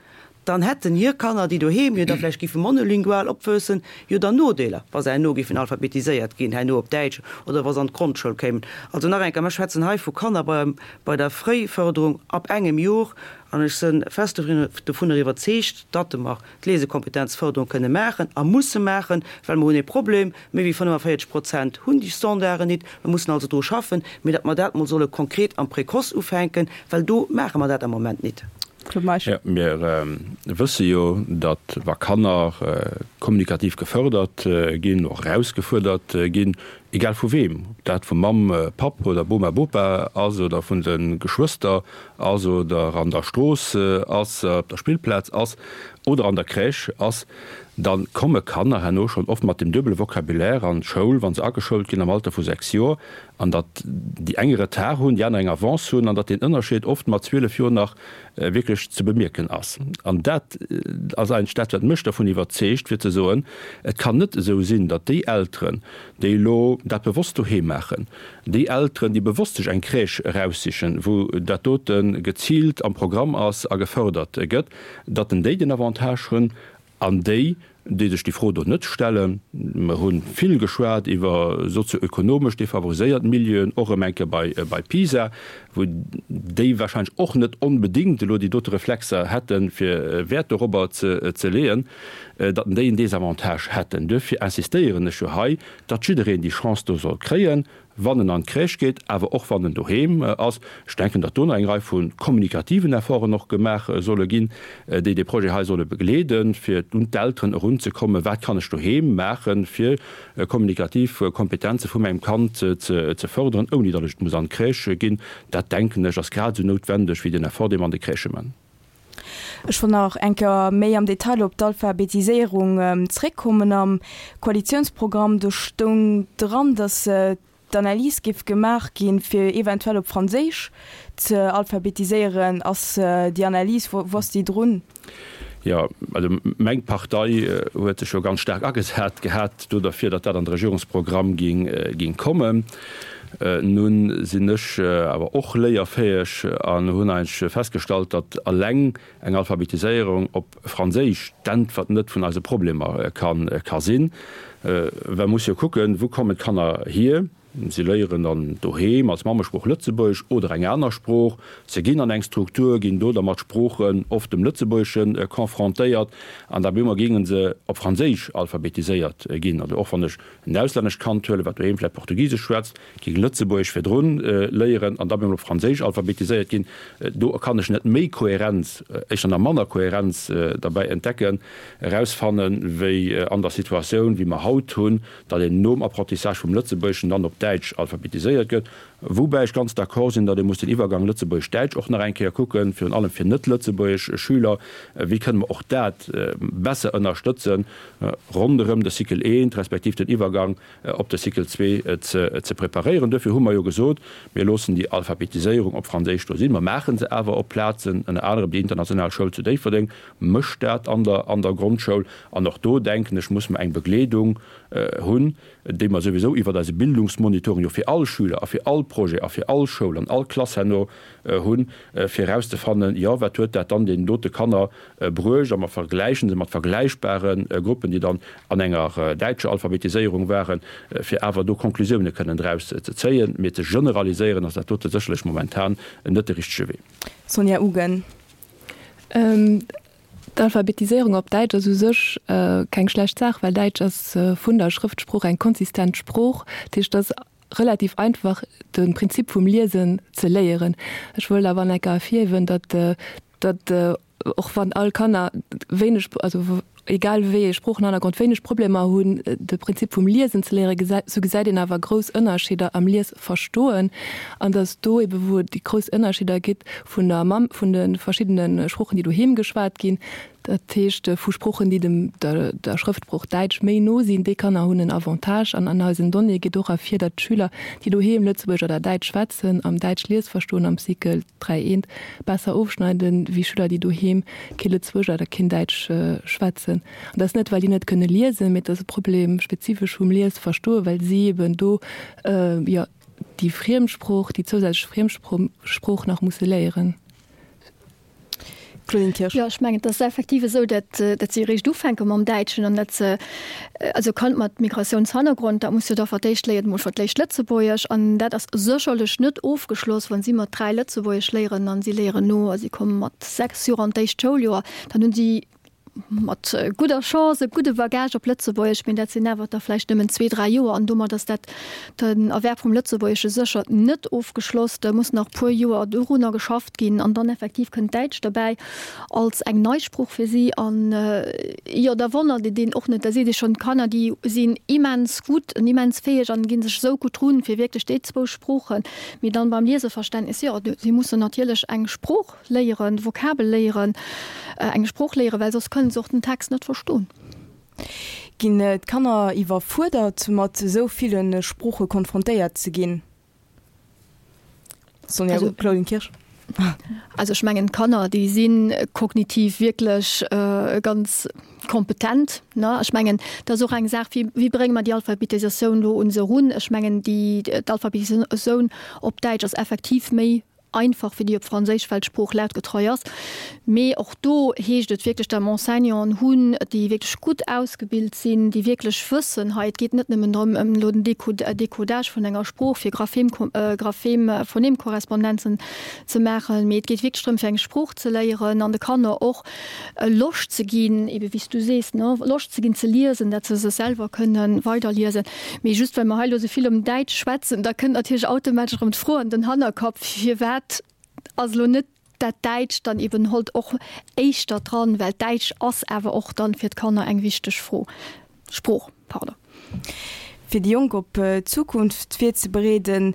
F: dann hätten hir Kanner, déi doheem jo da vläicht giffe monolingual opwuessen, jo dann Nodeeler, wa se herno giffen alphabetiséiert ginn, herno op Däitsch oder wa se an d'Grondschoul kéimen. Also nach eng Kéier, Mer schwätzen hei vu Kanner bei bei der Fréifërderung ab engem Jor, an ech si fest dovunner iwwerzeegt, datt mer d'Lesekompetenzfërderung kënne maachen a musse maachen, well mer hunn ee Problem, méi wéi fënnefenvéierzeg Prozent hunn déi Standarden nit. Mer mussen also dru schaffen, mee datt mer dat mol solle konkret am Précoce ufänken, well do maache mer dat am Moment nit.
B: Claude Meisch.
G: Jo, mir wësse jo, datt wa Kanner kommunikativ gefërdert ginn, och erausgefuerdert ginn, egal vu weem, ob dat vu Mamm, Papp oder Boma, Bopa ass oder vun de Geschwëster ass oder an der Strooss ass, op der Spillplaz ass oder an der Crèche ass, da komme Kanner herno schonn oft mat dem duebele Vocabulaire an d'Schoul, wa se ageschoult ginn am Alter vu sechs Joer, an datt déi eng e Retard hunn, déi aner eng Avance hunn, an datt deen Ënnerscheed oft mat zwielef Joer nach wierklech ze bemierken ass. An dat ass eigentlech dat, wat mech dervun iwwerzeegt, fir ze soen, Et kann net esou sinn, datt déi Elteren, déi elo dat bewosst doheem maachen, déi Elteren, déi bewosst sech eng Crèche eraussichen, wou dat dote geziilt am Programm ass a gefërdert gëtt, datt en déi den Avantage hunn an déi, déi sech déi Fro do net stellen, mer hu vill geschwat iwwer sozio-ökonomesch defavoriséiert Milieuen, och erëm eng Kéier bei, bei PISA, wou déi wahrscheinlech och net onbedéngt elo déi dote Reflexer hätten, fir Wäert dorobber ze, ze leeën, datt déi en Désavantage hätten. Duerfir insistéieren ech jo hei, datt jiddereen déi Chance do soll kréien, wann en an d'Crèche geet, awer och wann en doheem ass. Ech denken, datt do nach eng Rei vu kommunikativen Efforten och gemaach solle ginn, déi dee Projet hei solle begleeden, fir un d'Elteren erunzekommen, Wat kann ech doheem maachen, fir kommunikativ Kompetenze vu mengem Kand ze fërderen, ouni datt ech et muss an d'Crèche ginn? Dat, denken ech, ass grad esou noutwendeg wéi den Effort, dee mer an de Crèchë man.
B: Ech wollt nach eng Kéier méi am Detail op d'Alphabetiséierung zréckkommen. Am Koalitionsprogramm, do stoung dran, datt d'Analys géif gemaach ginn, fir eventuell op Franséisch ze alphabetiséieren. Ass déi Analys, wou ass déi drun?
G: Jo, also meng Partei huet sech jo ganz staark agesat gehat do derfir, datt dat an de Regierungsprogramm géing kommen. Nun sinn ech awer och léierfäeg an hunn eigentlech festgestallt, datt eleng eng Alphabetiséierung op Franséisch d'Äntwert net vun eise Problemer ka sinn. Well muss jo kucken, wou kommen d'Kanner hier? Si léieren dann doheem als Mammesprooch Lëtzebuergesch oder eng aner Sprooch. Se ginn an eng Struktur, ginn do da mat Sproochen, oft dem Lëtzebuergeschen, confrontéiert an da bemol géinge se op Franséisch alphabetiséiert ginn. Also och wann ech en auslännescht Kand huelen, wat doheem vläicht Portugisesch schwätzt, géing Lëtzebuergesch virdrun léieren an da bemol op Franséisch alphabetiséiert ginn, do kann ech net méi Kohärenz, éischter nach manner Kohärenz derbäi entdecken, erausfannen, wéi an der Situatioun, wéi mer haut hunn, datt een nom Apprentissage vum Lëtzebuergeschen dann op op Däitsch alphabetiséiert gëtt. Woubäi ech ganz d'accord sinn, datt ee muss den Iwwergang Lëtzebuergesch-Däitsch och nach eng Kéier kucken, virun allem fir net-lëtzebuergesch Schüler, wéi kënne mer och dat besser ënnerstëtzen, ronderëm de Cycle eent respektiv den Iwwergang op de Cycle zwee ze preparéieren. Duerfir hu mer jo gesot, mir loossen déi Alphabetiséierung op Franséisch do sinn, mer maache se awer op Plazen, ënner anerem déi international Schoul zu Déifferdeng mécht dat an der an der Grondschoul. An och do, denken ech, muss mer eng Begleedung hunn, déi mer souwisou iwwert eise Bildungsmonitoring jo fir all Schüler a fir all Projet a fir all Schoul an all Klass herno hunn, fir erauszefannen, jo, wat huet dat dann deenen dote Kanner bruecht, a mer vergläichen se mat vergläichbare Gruppen, déi dann an enger däitscher Alphabetiséierung waren, fir awer do Konklusioune kënnen draus ze zéien. Mee ze generaliséieren ass dat dote sécherlech momentan net de richtege Wee.
B: Sonja Ugen.
D: D'Alphabetiséierung op Däitsch ass u sech keng schlecht Saach, well Däitsch ass vun der Schrëftsprooch eng konsistent Sprooch. Dat heescht, et ass relativ einfach, de Prinzip vum Liesen ze léieren. Ech wëllt awer nach eng Kéier ervirhiewen, datt, datt och wann all Kanner wéineg, also egal wéi ee Sproochenhannergrond, wéineg Problemer hunn, de Prinzip vum Liesen ze léieren, sou gesäit een awer grouss Ënnerscheeder am Liesverstoen. An datt do ebe wou et déi grouss Ënnerscheeder gitt vun der Mamm, vun de verschiddene Sproochen, déi doheem geschwat ginn, dat heescht vu Sproochen, déi dem der der Schrëftsprooch Däitsch méi no sinn, déi Kanner hunn en Avantage. An an eisen Donnéeë geet och ervir, datt d'Schüler, déi doheem Lëtzebuergesch oder Däitsch schwätzen, am Däitsch Liesverstoen am Cycle dräi eent besser ofschneiden, wéi Schüler, déi doheem kee Lëtzebuergesch oder keen Däitsch schwätzen. An dat ass net, well déi net kënne liesen, mee et ass e Problem spezifesch vum Liesverstoen, well si eben do, jo, déi Friemsprooch, déi zousätzlech Friemsprooch nach musse léieren.
B: Claudine Kirsch.
E: Jo, ech mengen, et ass effektiv esou, datt, datt si eréischt ufänke mam Däitschen an datt se, also Kand mat Migratiounshannergrond, dat muss jo da fir d'éischt léieren, emol fir d'éischt Lëtzebuergesch an dat ass sécherlech net ofgeschloss, wa si mat dräi Lëtzebuergesch léieren an si léieren no a si komme mat sechs Joer an d'éischt Schouljoer, dann hunn si mat gudder Chance e gudde Bagage op Lëtzebuergesch, mee dat sinn awer da vläicht nëmmen zwee, dräi Joer an domat ass dat den Erwerb vum Lëtzebuergesche sécher net ofgeschloss. Da muss nach e puer Joer dorunner geschafft ginn an dann effektiv kënnt d'Däitsch derbäi als eng nei Sprooch fir si an jo, da wonnert et een och net, da seet ee schonn, d'Kanner déi sinn immens gutt an immens fäeg an gi sech esou gutt drun, fir wierklech déi zwou Sproochen, mee dann beim Lieseverständnis, jo, si mussen natierlech eng Sprooch léieren, Vokabel léieren, eng Sprooch léieren, well soss kënnen se och den Text net verstoen.
B: Ginn d'Kanner iwwerfuerdert, mat esou ville Sprooche konfrontéiert ze ginn? Sonja, Claudine Kirsch.
E: Also ech mengen, d'Kanner, déi si kognitiv wierklech ganz kompetent, ne? Ech mengen, dat ass och eng Saach, wéi, wéi brénge mer déi Alphabetisatioun elo un se erun? Ech mengen, déi, d'Alphabetisatioun op Däitsch ass effektiv méi einfach wéi déi op Franséisch, well d'Sprooch lautgetreu ass. Mee och do heescht et wierklech, datt mer Enseignanten hunn, déi wierklech gutt ausgebilt sinn, déi wierklech wëssen, hei et geet net nëmmen drëm, ëm elo den Decodage vun enger Sprooch fir Graphem-Graphem-Phonem-Korrespondenzen ze maachen, mee et geet wierklech drëm, fir eng Sprooch ze léieren an de Kanner och Loscht ze ginn, ebe wéi s du sees, ne, Loscht ze ginn ze liesen, datt se sech selwer kënne weiderliesen. Mee just well mer hei elo esou vill ëm Däitsch schwätzen, da kënnt natierlech automatesch erëm d'Fro an den Hannerkapp, Firwat ass elo net dat Däitscht dann eben holt och éischter dran? Well d'Däitsch ass awer och dann fir d'Kanner eng wichteg Fro, Sprooch, pardon.
B: Fir déi Jonk op d'Zukunft virzebereeden,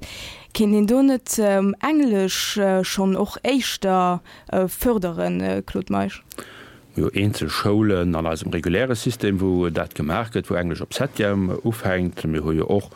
B: kéint een do net Englesch schonn och éischter fërderen, Claude Meisch?
G: Mir hu eenzel Schoulen an eisem reguläre System, wou dat gemaach gëtt, wou Englesch op Septième ufänkt. Mir hu jo och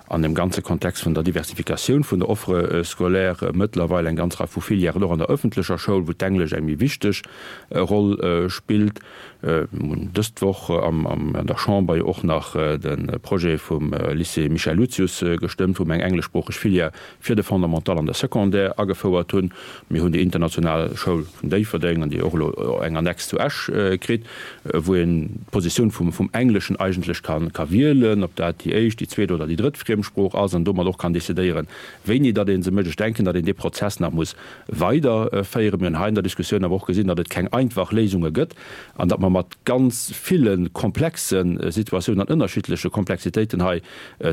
G: an dem ganze Kontext vun der Diversifikatioun vun der Offre scolaire mëttlerweil eng ganz Rei vu Filièren och an der ëffentlecher Schoul, wou d'Englesch eng méi wichteg Roll spillt. Mir hunn dës Woch an der Chamber jo och nach de Projet vum Lycée Michel Lucius gestëmmt, wou mer eng engleschsproocheg Filière fir de Fondamental an de Secondaire agefouert hunn. Mir hunn déi international Schoul vun Déifferdeng, an déi och elo eng Annex zu Esch kritt, wou een d'Positioun vum Engleschen eigentlech ka wielen, ob dat déi éischt, déi zweet oder déi drëtt Friemsprooch ass, an domat och kann decidéieren, wéini datt ee se mécht. Ech denken, datt een dee Prozess nach muss weiderféieren. Mir hunn hei an der Diskussioun awer och gesinn, datt et keng einfach Léisunge gëtt an datt mer mat ganz ville komplexe Situatiounen an ënnerschiddleche Komplexitéiten hei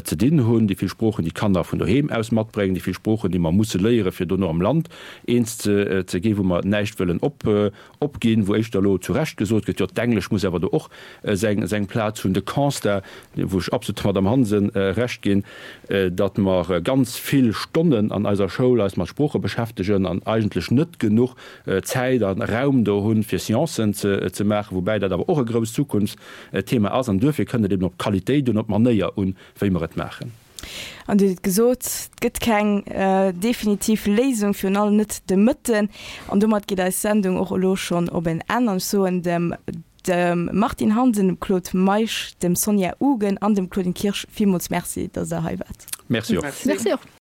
G: ze dinn hunn, déi vill Sproochen, déi d'Kanner vun doheem aus matbréngen, déi vill Sproochen, déi mer musse léieren, fir dono am Land eens ze ginn, wou mer näischt wëllen opginn, wou éischter elo zu Recht gesot gëtt, jo, d'Englesch muss awer do och seng Plaz hunn. De Constat, wou ech absolut der Madamm Hansen Recht ginn, datt mer ganz vill Stonnen an eiser Schoul eis mat Sprooche beschäftegen an eigentlech net genuch Zäit a Raum do hunn, fir Sciencen ze maachen, woubäi dat awer och e grousst Zukunftsthema ass. An duerfir kënnt et eben op d'Qualitéit un, op d'Manéier un, wéi mer et maachen.
B: An Dir hutt et gesot, et gëtt keng definitiv Léisung, virun allem net de Mëtten. An domat geet eis Sendung och elo schonn op en Enn. An ech soen dem dem Martine Hansen, dem Claude Meisch, dem Sonja Ugen an dem Claudine Kirsch villmools Merci, datt Der hei waart.
G: Merci och.
E: Merci och.